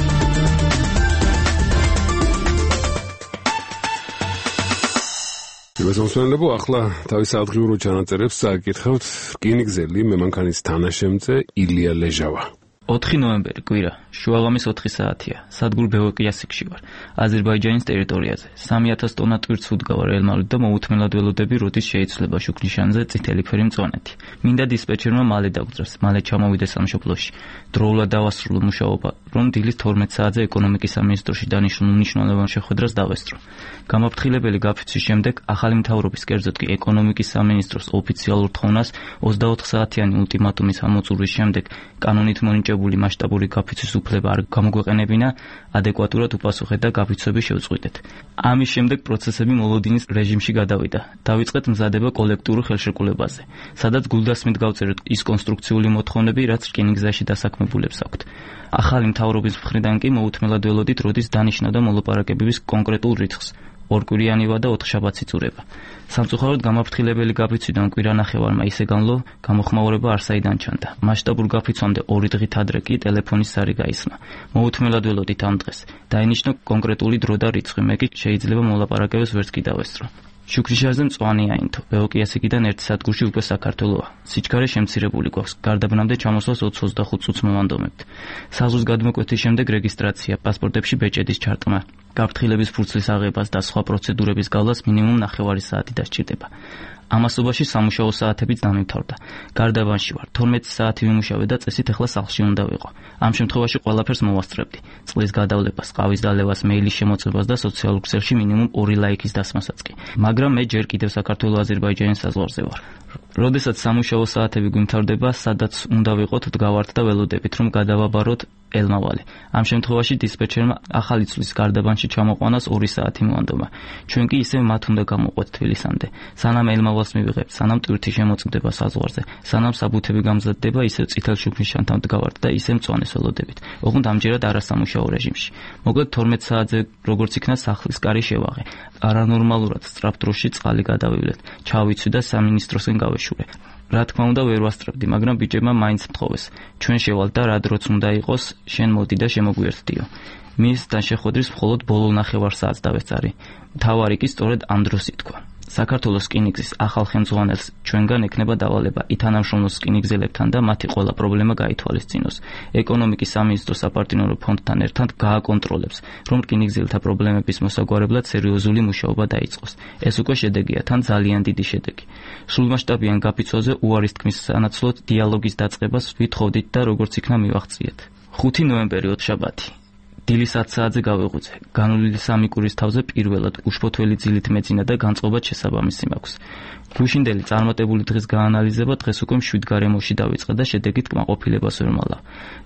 მოსმენლებო, ახლა თავის ადგილურ ჩანაწერებს წააკითხავთ რკინიგზელი მემანქანის თანაშემწე ილია ლეჟავა. 4 ნოემბერი კვირა, შუაღამის 4 საათია. სადგურ ბეოკიასიკში ვარ, აზერბაიჯანის ტერიტორიაზე. 3000 ტონა ტვირთს უდგავარ ელმალით და მოუთმენლად ველოდები, როდის შეიცვლება შუქნიშანზე წითელი ფერი მწვანეთი. მინდა დისპეჩერმა მალე დაგძრას, მალე ჩამოვიდეს სამშობლოში. დროულად დავასრულო მუშაობა, რომ დილის 12 საათზე ეკონომიკის სამინისტროში დანიშნულ მნიშვნელოვან შეხვედრას დავესწრო. გამაფრთხილებელი გაფიცვის შემდეგ ახალი მთავრობის, კერძოდ კი ეკონომიკის სამინისტროს ოფიციალურ თხოვნას 24 საათიანი ულტიმატუმის ამოწურვის შემდეგ კანონით მონიჭებული მასშტაბური გაფიცვის უფლება არ გამოგვეყენებინა, ადეკვატურად უპასუხეთ და გაფიცვები შევწყვიტეთ. ამის შემდეგ პროცესები მოლოდინის რეჟიმში გადავიდა. დავიწყეთ მზადება კოლექტიურ ხელშეკრულებაზე, სადაც გულდასმით გავწერეთ ის კონსტრუქციული მოთხოვნები, რაც რკინიგზაში დასაქმებულებს აქვთ. ახალი მთავრობის მხრიდან კი მოუთმენლად ველოდით, როდის დანიშნავდა მოლაპარაკებების კონკრეტულ რიცხვს. 2 კვირიანივა და 4 შაბათს იწურება. სამწუხაროდ გამაფრთხილებელი გაფიცვიდან კვირანახევარმა ისე განლო, გამოხმაურება არსაიდან ჩანდა. მასშტაბურ გაფიცვამდე 2 დღით ადრე კი ტელეფონის ზარი გაისმა. მოუთმენლად ველოდით ამ დღეს. დაინიშნო კონკრეტული დრო და რიცხვი, მე კი შეიძლება მოლაპარაკებებს ვერც კი დავესწრო. შუქრიშარზე მწვანე აინთო, ბეოკიასიკიდან ერთ სადგურში უკვე საქართველოა. სიჩქარე შემცირებული გვაქვს, გარდაბნამდე ჩამოსვლას 20-25 წუთს მოვანდომებთ. საზღვის გადმოკვეთის შემდეგ რეგისტრაცია, პასპორტებში ბეჭედის ჩარტყმა, გაფრთხილების ფურცლის აღებას და სხვა პროცედურების გავლას მინიმუმ 9 საათი დასჭირდება. ამასობაში სამუშაო საათებიც დამიმთავრდა. გარდაბანში ვარ, 12 საათი ვიმუშავე და წესით ახლა სახლში უნდა ვიყო. ამ შემთხვევაში ყველაფერს მოვასწრებდი. წყლის გადავლებას, ყავის დალევას, მეილის შემოწმებას და სოციალურ ქსელში მინიმუმ 2 ლაიქის დასმასაც კი. მაგრამ მე ჯერ კიდევ საქართველო-აზერბაიჯანის საზღვარზე ვარ. როდესაც სამუშაო საათები გვიმთავრდება, სადაც უნდა ვიყოთ, დგავართ და ველოდებით, რომ გადავაბაროთ ელმავალი. ამ შემთხვევაში დისპეჩერმა ახალი წლის გარდაბანში ჩამოყვანას 2 საათი მოანდომა. ჩვენ კი ისევ მათ უნდა გამოვყვეთ თბილისამდე. სანამ ელმავალს მივიღებთ, სანამ ტვირთი შემოწმდება საზღვარზე, სანამ საბუთები გამზადდება, ისევ წითელ შუქნიშანთან დგავართ და ისევ მწვანეს ველოდებით. ოღონდ ამჯერად არასამუშაო რეჟიმში. მოკლედ 12 საათზე როგორც იქნა სახლის კარი შევაღე. არანორმალურად სწრაფ დროში წყალი გადავივლეთ. ჩავიცვი და სამინისტროსკენ გავეშურე. რა თქმა უნდა ვერ ვასწრებდი, მაგრამ ბიჭებმა მაინც მთხოვეს. ჩვენ შევალთ და რა დროც უნდა იყოს, შენ მოდი და შემოგვიერთდიო. მისთან შეხვედრის მხოლოდ ბოლო 9 საათს დავესწარი. მთავარი კი სწორედ ამ დროს ითქვა. საქართველოს რკინიგზის ახალ ხელმძღვანელს ჩვენგან ექნება დავალება ითანამშრომლოს რკინიგზელებთან და მათი ყველა პრობლემა გაითვალისწინოს. ეკონომიკის სამინისტროს საპარტნიორო ფონდთან ერთად გააკონტროლებს, რომ რკინიგზელთა პრობლემების მოსაგვარებლად სერიოზული მუშაობა დაიწყოს. ეს უკვე შედეგია, თან ძალიან დიდი შედეგი. სრულმასშტაბიან გაფიცვაზე უარის თქმის სანაცვლოდ დიალოგის დაწყებას ვითხოვდით და როგორც იქნა მივაღწიეთ. 5 ნოემბერი 4 შაბათი. დილის 10 საათზე გავეღვიძე. განვლილი 3 კვირის თავზე პირველად უშფოთველი ძილით მეძინა და განწყობად შესაბამისი მაქვს. გუშინდელი წარმატებული დღის გაანალიზება დღეს უკვე 7 გარემოში დავიწყე და შედეგით კმაყოფილებას ვერ მალავ.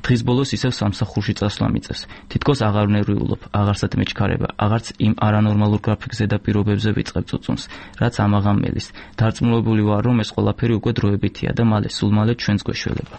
დღის ბოლოს ისევ სამსახურში წასვლა მიწევს. თითქოს აღარ ვნერვიულობ, აღარსად მეჩქარება, აღარც იმ არანორმალურ გრაფიკზე და პირობებზე ვიწყებ წუწუნს, რაც ამაღამ მელის. დარწმუნებული ვარ, რომ ეს ყველაფერი უკვე დროებითია და სულ მალე ჩვენს გვეშველება.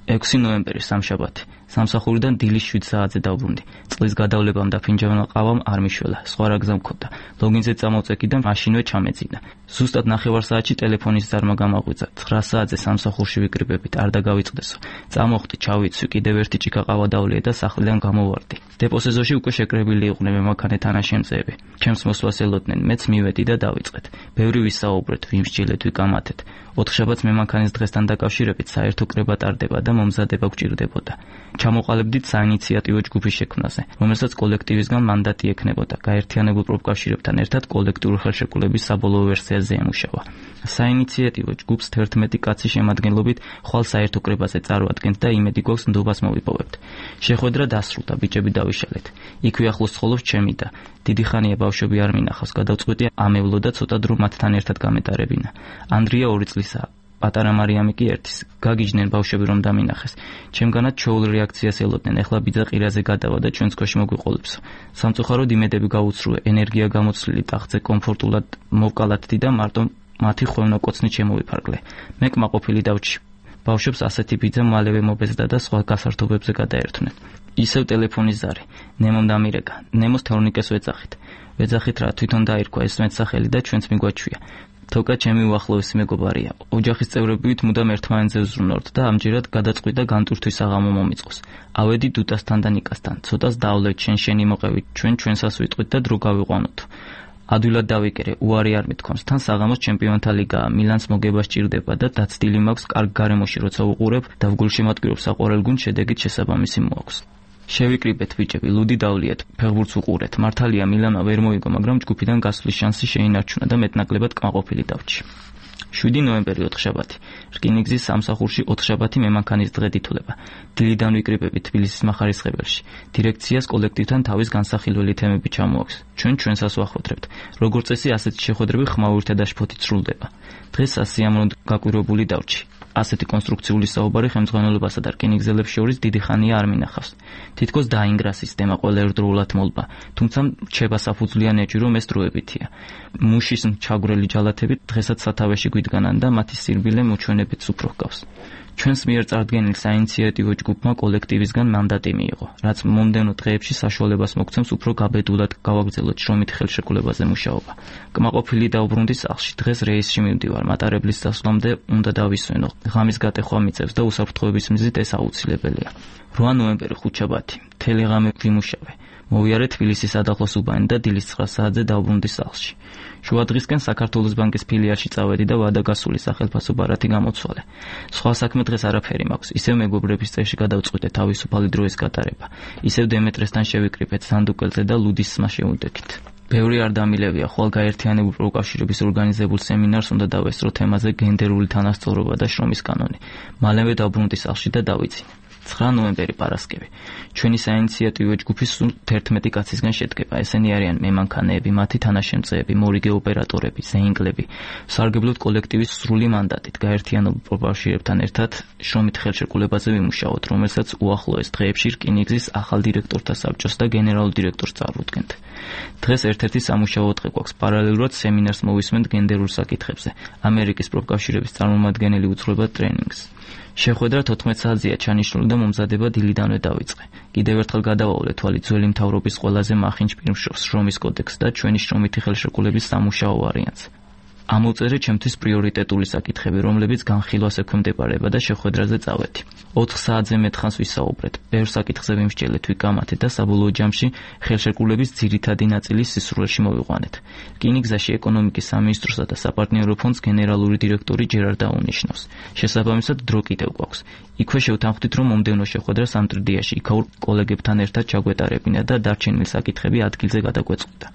6 ნოემბერი სამშაბათი. სამსახურიდან დილის 7 საათზე დავბრუნდი. წყლის გადავლებამ და ფინჯანმა ყავამ არ მიშველა. სხვა რა გზა მქონდა. ლოგინზე წამოვწეკი და მაშინვე ჩამეძინა. ზუსტად 9 საათში ტელეფონის ზარმა გამაღვიძა. 9 საათზე სამსახურში ვიკრიბებით, არ დაგავიწყდესო. წამოხდი, ჩავიცვი, კიდევ ერთი ჭიქა ყავა დავლიე და სახლიდან გამოვარდი. დეპო-სეზონში უკვე შეკრებილი იყვნენ მემანქანე თანაშემწეები. ჩემს მოსვლას ელოდნენ, მეც მივედი და დავიწყეთ. ბევრი ვისაუბრეთ, ვიმსჯელეთ, ვიკამათეთ. 4 შაბათს მემანქანის დღესთან დაკავშირებით საერთო კრება ტარდება და მომზადება გვჭირდებოდა. ჩამოყალიბდით საინიციატივო ჯგუფის შექმნაზე, რომელსაც კოლექტივისგან მანდატი ექნებოდა. გაერთიანებულ პროფკავშირებთან ერთად კოლექტიური ხელშეკრულების საბოლოო ვერსიაზე ემუშავა. საინიციატივო ჯგუფს 11 კაცი შემადგენლობით ხვალ საერთო კრებაზე წარვადგენთ და იმედი გვაქვს ნდობას მოვიპოვებთ. შეხვედრა დასრულდა, ბიჭები დავიშალეთ. იქვე ახლოს ცხოვრობს ჩემი და დიდი ხანია ბავშვები არ მინახავს, გადავწყვიტი ამევლო და ცოტა დრო მათთან ერთად გამეტარებინა. ანდრია 2 წლისაა. პატარა მარიამი კი 1-ის. გაგიჯდნენ ბავშვები რომ დამინახეს. ჩემგანაც ჩოულ რეაქციას ელოდნენ. ეხლა ბიძა ყირაზე გადავა და ჩვენს ქვეშ მოგვიყოლებსო. სამწუხაროდ იმედები გაუცრუე. ენერგია გამოცვლილი ტახტზე კომფორტულად მოვკალათდი და მარტო მათი ხვევნაკოცნით შემოვიფარგლე. მე კმაყოფილი დავჭი. ბავშვებს ასეთი ბიძა მალევე მობეზდა და სხვა გასართობებზე გადაერთვნენ. ისევ ტელეფონის ზარი. ნემომ დამირეკა. ნემოს თორნიკეს ვეძახით. ვეძახით რა თვითონ დაირქვა ეს მეცახელი და ჩვენც მიგვაჩვია. თოკა ჩემი უახლოესი მეგობარია. ოჯახის წევრებით მუდამ ერთმანეთზე ვზრუნავთ და ამჯერად გადაწყვიტა განტურთვის აღამო მომიწყოს. ავედი დუტასთან და ნიკასთან. ცოტას დავლევთ შენი მოყევით, ჩვენსას ვიტყვით და დრო გავიყვანოთ. ადვილად დავიკერე, უარი არ მithქვამს, თან საღამოს ჩემპიონთა ლიგაა, მილანს მოგება სჭირდება და დაცდილი მაქვს კარგ გარემოში როცა უყურებ და ვგულშემატკივრობ საყვარელ გუნდს, შედეგით შესაბამისი მოაქვს. შევიკრიბეთ ბიჭები, ლუდი დავლიეთ, ფეხბურთს უყურეთ. მართალია მილანმა ვერ მოიგო, მაგრამ ჯგუფიდან გასვლის შანსი შეინარჩუნა და მეტნაკლებად კმაყოფილი დავჭი. 7 ნოემბერი 4 შაბათი. რკინიგზის სამსახურში 4 შაბათი მემანქანის დღე ითვლება. დილიდან ვიკრიბებით თბილისის מחარისხებელში. დირექციას კოლექტივთან თავის განსახილველი თემები ჩამოაქვს. ჩვენსას ვახოთრებთ. როგორც წესი, ასეთი შეხვედრები ხმაურითა და შფოთით სრულდება. დღეს სასიამოვნოდ გაკვირვებული დავჭი. ასეთი კონსტრუქციული საუბარი ხელმძღვანელობასა და რკინიგზელებს შორის დიდი ხანია არ მინახავს. თითქოს დაინგრა სისტემა ყველა ერთდროულად მოლბა, თუმცა რჩება საფუძვლიანეჭი, რომ ეს დროებითია. მუშის ჩაგვრელი ჯალათები დღესაც სათავეში გვიდგანან და მათი სირბილე მოჩვენებით უფრო ჰგავს. ჩვენს მიერ წარდგენილ საინიციატივო ჯგუფმა კოლექტივისგან მანდატი მიიღო, რაც მომდევნო დღეებში საშუალებას მოგცემს უფრო გაბედულად გავაგრძელოთ შრომით ხელშეკრულებაზე მუშაობა. კმაყოფილი დავბრუნდი სახლში. დღეს რეისში მივდივარ, მატარებლის დასვლამდე უნდა დავისვენო. ღამის გატეხვა მიწევს და უსაფრთხოების მიზნით ეს აუცილებელია. 8 ნოემბერი 5 შაბათი. მთელი ღამე ვიმუშავე. მოვიარე თბილისის სადახლოს უბანი და დილის 9 საათზე დავბრუნდი სახლში. შუა დღისკენ საქართველოს ბანკის ფილიალში წავედი და ვადაგასული სახელმწიფო ბარათი გამოცვალე. სხვა საქმე დღეს არაფერი მაქვს. ისევ მეგობრების წრეში გადავწყვიტე თავისუფალი დროის გატარება. ისევ დემეტრესთან შევიკრიბეთ სანდუკელზე და ლუდის სმა შევუდექით. ბევრი არ დამილევია, ხვალ გაერთიანებულ პროფკავშირების ორგანიზებულ სემინარს უნდა დავესწრო თემაზე გენდერული თანასწორობა და შრომის კანონი. მალევე დავბრუნდი სახლში და დავიძინე. 9 ნოემბერი პარასკევი. ჩვენი საინიციატივო ჯგუფის სულ 11 კაცისგან შედგება. ესენი არიან მემანქანეები, მათი თანაშემწეები, მორიგე ოპერატორები, ზეინკლები. სარგებლობთ კოლექტივის სრული მანდატით, გაერთიანებულ პროფკავშირებთან ერთად შრომით ხელშეკრულებაზე ვიმუშაოთ, რომელსაც უახლოეს დღეებში რკინიგზის ახალ დირექტორთა საბჭოს და გენერალურ დირექტორს წარვდგენთ. დღეს ერთ-ერთი სამუშაო დღე გვაქვს. პარალელურად სემინარს მოვისმენთ გენდერულ საკითხებზე. ამერიკის პროფკავშირების წარმომადგენელი უძღვება ტრენინგს. შეხვედრა 14 საათზეა ჩანიშნული და მომზადება დილიდანვე დავიწყე. კიდევ ერთხელ გადავავლე თვალი ძველი მთავრობის ყველაზე მახინჯ პირმშრომლს, შრომის კოდექსს და ჩვენი შრომითი ხელშეკრულების სამუშაო ვარიანტს. ამოვწერე ჩემთვის პრიორიტეტული საკითხები, რომლებიც განხილვას ექვემდებარება და შეხვედრაზე წავედი. 4 საათზე მეტხანს ვისაუბრეთ. ბევრ საკითხზე ვიმსჯელეთ, ვიკამათეთ და საბოლოო ჯამში ხელშეკრულების ძირითადი ნაწილის სისრულეში მოვიყვანეთ. რკინიგზაში ეკონომიკის სამინისტროსა და საპარტნიორო ფონდს გენერალური დირექტორი ჯერარ დაუნიშნავს. შესაბამისად დრო კიდევ გვაქვს. იქვე შევთანხმდით, რომ მომდევნო შეხვედრა სამტრედიაში იქაურ კოლეგებთან ერთად ჩაგვეტარებინა და დარჩენილი საკითხები ადგილზე გადაგვეწყვეტა.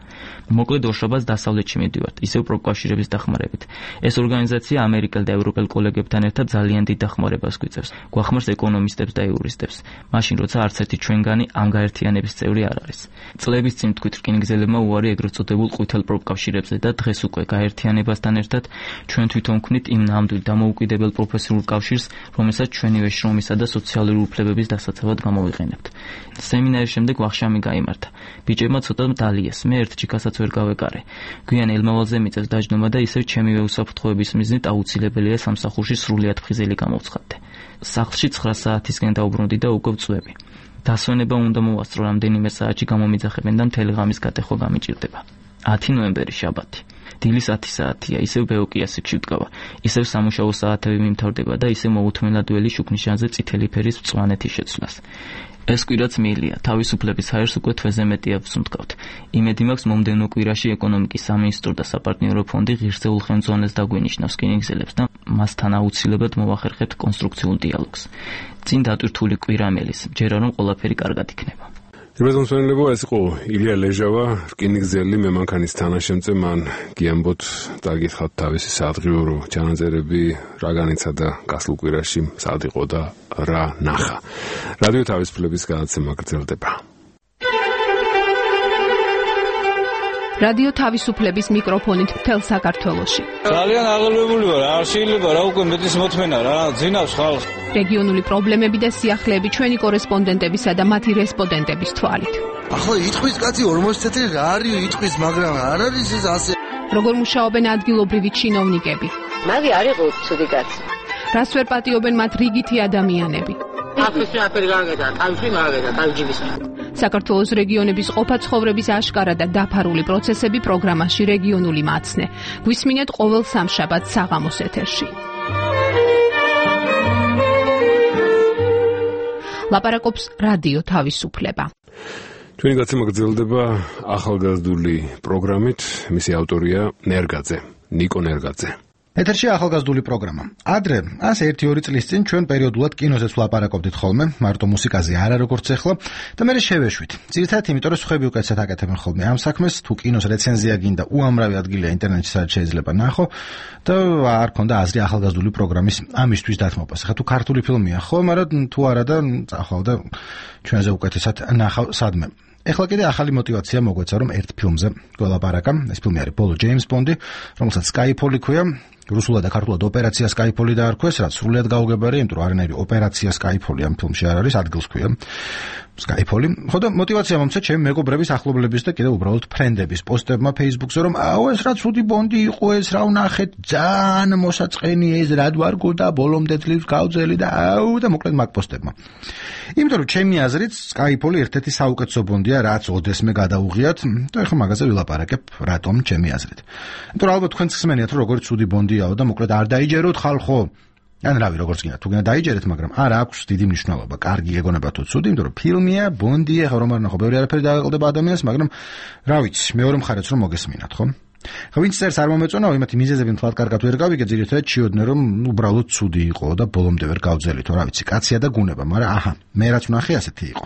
მოკლედ ორშაბათს დასავლეთში მივდივართ, ისევ პროფკავშირების დახმარებით. ეს ორგანიზაცია ამერიკელ და ევროპელ კოლეგებთან ერთად ძალიან დიდ დახმარებას გვიწევს. გვახმარს ეკონომისტებს და იურისტებს, მაშინ როცა არც ერთი ჩვენგანი ამ გაერთიანების წევრი არ არის. წლების წინ თქვით რკინიგზელებმა უარი ეგრეთ წოდებულ ყვითელ პროფკავშირებზე და დღეს უკვე გაერთიანებასთან ერთად ჩვენ თვითონ ვქმნით იმ ნამდვილ დამოუკიდებელ პროფესიულ კავშირს, რომელსაც ჩვენივე შრომისა და სოციალური უფლებების დასაცავად გამოვიყენებთ. სემინარის შემდეგ ვახშამი გაიმართა. ბიჭებმა ცოტა დალიეს, მე ერთ ჩიქასაც ვერ გავეკარე. გვიან ელმავალზე მიწევს დაჯდომა და ისევ ჩემივე უსაფრთხოების მიზნით აუცილებელია სამსახურში სრულიად ფხიზელი გამოვცხადდე. სახლში 9 საათისკენ დაუბრუნდი და უკვე ვწვევი. დასვენება უნდა მოვასწრო, რამდენიმე საათში გამომიძახებენ და მთელი ღამის გატეხვა გამიჭირდება. 10 ნოემბერი შაბათი. დილის 10 საათია, ისევ ბეოკიასებში ვდგავა. ისევ სამუშაო საათები მიმთავრდება და ისევ მოუთმენლად ველი შუქნიშანზე წითელი ფერის მწვანეთი შეცვლას. ეს კვირაც მიილია, თავისუფლების ჰაერს უკვე თვეზე მეტია ვსუნთქავთ. იმედი მაქვს მომდევნო კვირაში ეკონომიკის სამინისტრო და საპარტნიორო ფონდი ღირსეულ ხელმძღვანელს დაგვინიშნავს რკინიგზელებს და მასთან აუცილებლად მოვახერხებთ კონსტრუქციულ დიალოგს. წინ დატვირთული კვირა მელის, ჯერა რომ ყველაფერი კარგად იქნება. რეზონსვენლებო, ეს იყო ილია ლეჟავა, რკინიგზელი მემანქანის თანაშემწე. მან გიამბოთ დაგითხათ თავისი საადღიურო ჩანაწერები, რა განიცა და გასულ კვირაში სად იყო და რა ნახა. რადიო თავისუფლების გადაცემა გრძელდება. რადიო თავისუფლების მიკროფონით მთელ საქართველოში. ძალიან აღელვებული ვარ, არ შეიძლება რა უკვე მეტის მოთმენა რა, ძინავს ხალხს. რეგიონული პრობლემები და სიახლეები ჩვენი კორესპონდენტებისა და მათი რესპონდენტების თვალით. ახლა იტყვის კაცი 40 წელი რა არის იტყვის, მაგრამ არ არის ეს ასე. როგორ მუშაობენ ადგილობრივი ჩინოვნიკები? მაგი არ იყო ცუდი კაცი. რას ვერ პატიობენ მათ რიგითი ადამიანები? აფრიკი აფერი გაგედა, თავში მაგედა, თავჯიბის. საქართველოს რეგიონების ყოფა-ცხოვრების აშკარა და დაფარული პროცესები პროგრამაში რეგიონული მაცნე. გვისმინეთ ყოველ სამშაბათს საღამოს ეთერში. ლაპარაკობს რადიო თავისუფლება. ჩვენი გაცემა გრძელდება ახალგაზრდული პროგრამით, მისი ავტორია ნერგაძე, ნიკო ნერგაძე. ეთერში ახალგაზრდული პროგრამა. ადრე, ასე 1-2 წლის წინ ჩვენ პერიოდულად კინოზეც ვლაპარაკობდით ხოლმე, მარტო მუსიკაზე არა როგორც ახლა, და მე შევეშვით. ძირითადად იმიტომ, რომ სხვები უკეთესად აკეთებენ ხოლმე ამ საქმეს, თუ კინოს რეცენზია გინდა, უამრავი ადგილია ინტერნეტში სადაც შეიძლება ნახო და არ ქონდა აზრი ახალგაზრდული პროგრამის ამისთვის დათმობას. ახლა თუ ქართული ფილმია ხო, მაგრამ თუ არა და წახვალდა ჩვენზე უკეთესად ნახავ სადმე. ეხლა კიდე ახალი мотиваცია მოგვეცა, რომ ერთ ფილმზე გველაპარაკა. ეს ფილმი არის ბოლო ჯეიმს ბონდი, რომელსაც Skyfall ქვია. რუსულად და ქართულად ოპერაცია Skyfall დაარქვეს, რაც სრულიად გაუგებარია, იმიტომ რომ არანაირი ოპერაცია Skyfall ამ ფილმში არ არის, ადგილს ქვია Skyfall. ხოდა мотиваცია მომცა ჩემი მეგობრების, ახლობლების და კიდე უბრალოდ ფრენდების პოსტებმა Facebook-ზე, რომ აუ ეს რა ცუდი ბონდი იყო, ეს რა ვნახეთ, ძალიან მოსაწყენი ეს რა დვარგო და ბოლომდე ძლივს გავძელი და აუ და მოკლედ მაგ პოსტებმა. იმიტომ რომ ჩემი აზრით Skyfall ერთ-ერთი საუკეთესო ბონდია, რაც ოდესმე გადაუღიათ და ეხლა მაგაზე ვილაპარაკებ, რატომ ჩემი აზრით. იმიტომ რომ ალბათ თქვენც ხსმენიათ, რომ როგორი ცუდი ბონდიაო და მოკლედ არ დაიჯეროთ ხალხო. ან რავი, როგორც გინდა, თუ გინდა დაიჯერეთ, მაგრამ არ აქვს დიდი მნიშვნელობა. კარგი გეგონება თუ ცუდი, იმიტომ რომ ფილმია, ბონდია, ხო რომ არ ნახო, ბევრი არაფერი დააყოლდება ადამიანს, მაგრამ რა ვიცი, მეორე მხარეც რომ მოგესმინათ, ხო? ხო, ვინც წერს არ მომეწონაო, იმათი მიზეზები მთლად კარგად ვერ გავიგე, ძირითადად ჩიოდნენ, რომ უბრალოდ ცუდი იყო და ბოლომდე ვერ გავძელითო, რა ვიცი, კაცია და გუნება, მაგრამ აჰა, მე რაც ვნახე ასეთი იყო.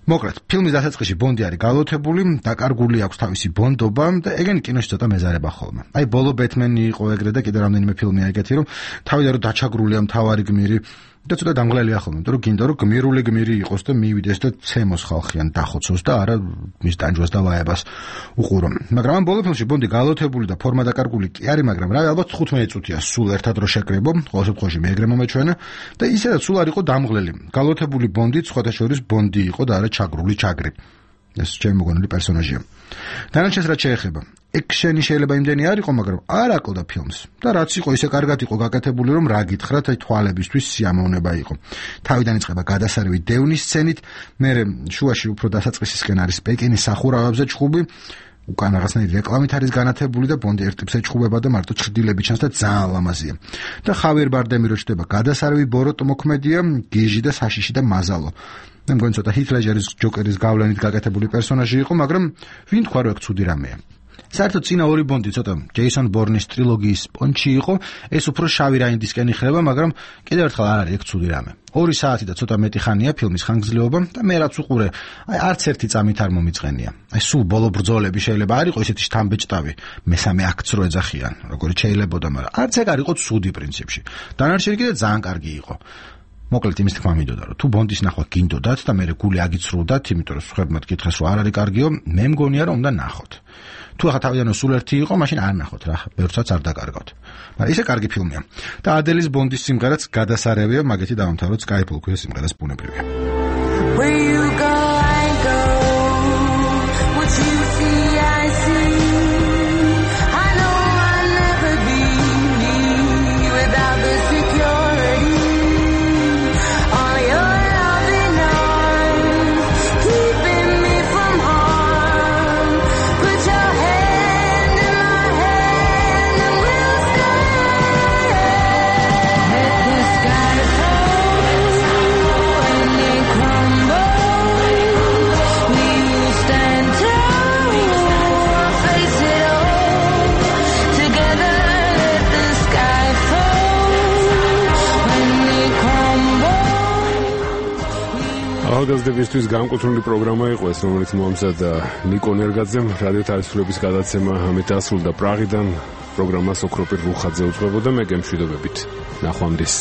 მოკლედ, ფილმის დასაწყისში ბონდი არის გალოთებული, დაკარგული აქვს თავისი ბონდობა და ეგენი კინოში ცოტა მეზარება ხოლმე. აი, ბოლო ბეთმენი იყო ეგრე და კიდე რამდენიმე ფილმია ეგეთი, რომ თავიდან რომ დაჩაგრულია მთავარი გმირი და ცოტა დამღლელია ხოლმე, იმიტომ რომ გინდა რომ გმირული გმირი იყოს და მივიდეს და ცემოს ხალხიან დახოცოს და არა მის ტანჯვას და ვაებას უყურო. მაგრამ ამ ბოლო ფილმში ბონდი გალოთებული და ფორმა დაკარგული კი არის, მაგრამ რავი, ალბათ 15 წუთია სულ ერთად რო შეკრებო, ყოველ შემთხვევაში მეეგრე მომეჩვენა და ისედაც სულ არ იყო დამღლელი. გალოთებული ბონდი სხვათა შორის ბონდი იყო და არა ჩაგრული ჩაგრი. ეს ჩემი მოგონილი პერსონაჟია. დანარჩენს რაც შეეხება, ექშენი შეიძლება იმდენი არ იყო, მაგრამ არ აკლდა ფილმს. და რაც იყო, ისე კარგად იყო გაკეთებული, რომ რა გითხრათ, აი თვალებისთვის სიამოვნება იყო. თავიდან იწყება გადასარევი დევნის სცენით, მერე შუაში უფრო დასაწყისისკენ არის პეკინის სახურავებზე ჩხუბი, უკან რაღაცნაირი რეკლამით არის განათებული და ბონდი ერთ ტიპს ეჩხუბება და მარტო ჩრდილები ჩანს და ძალიან ლამაზია. და ხავიერ ბარდემი რო ჩდება, გადასარევი ბოროტ მოქმედია, გიჟი და საშიში და მაზალო. მე მგონი ცოტა ჰით ლეჯერის ჯოკერის გავლენით გაკეთებული პერსონაჟი იყო, მაგრამ ვინ თქვა რომ ეგ ცუდი რამეა. საერთოდ წინა ორი ბონდი ცოტა ჯეისონ ბორნის ტრილოგიის პონჩი იყო, ეს უფრო შავი რაინდისკენ იხრება, მაგრამ კიდევ ერთხელ არ არის ეგ ცუდი რამე. 2 საათი და ცოტა მეტი ხანია ფილმის ხანგრძლივობა და მე რაც უყურე, არც ერთი წამით არ მომიწყენია. სულ ბოლო ბრძოლები შეიძლება არ იყოს ესეთი შთამბეჭდავი, მესამე აქტს რო ეძახიან, როგორც შეიძლებოდა, მაგრამ არც ეგ არ იყო ცუდი პრინციპში. დანარჩენი კიდე ძალიან კარგი იყო. მოკლედ იმის თქმა მინდოდა, რომ თუ ბონდის ნახვა გინდოდათ და მე გული აგიცრუვდათ, იმიტომ რომ სხვებმა გითხრეს რომ არ არის კარგიო, მე მგონია რომ უნდა ნახოთ. თუ ახლა თავიდანვე სულ ერთი იყო, მაშინ არ ნახოთ რა, ბევრსაც არ დაკარგავთ. მაგრამ ისე კარგი ფილმია. და ადელის ბონდის სიმღერაც გადასარევია, მაგეთი დავამთავროთ Skyfall-ის სიმღერას ბუნებრივია. ახალგაზრდებისთვის განკუთვნილი პროგრამა იყო ეს, რომელიც მოამზადა ნიკო ნერგაძემ. რადიო თავისუფლების გადაცემა ამით დასრულდა პრაღიდან. პროგრამას ოქროპირ რუხაძე უძღვებოდა, მე გემშვიდობებით. ნახვამდის.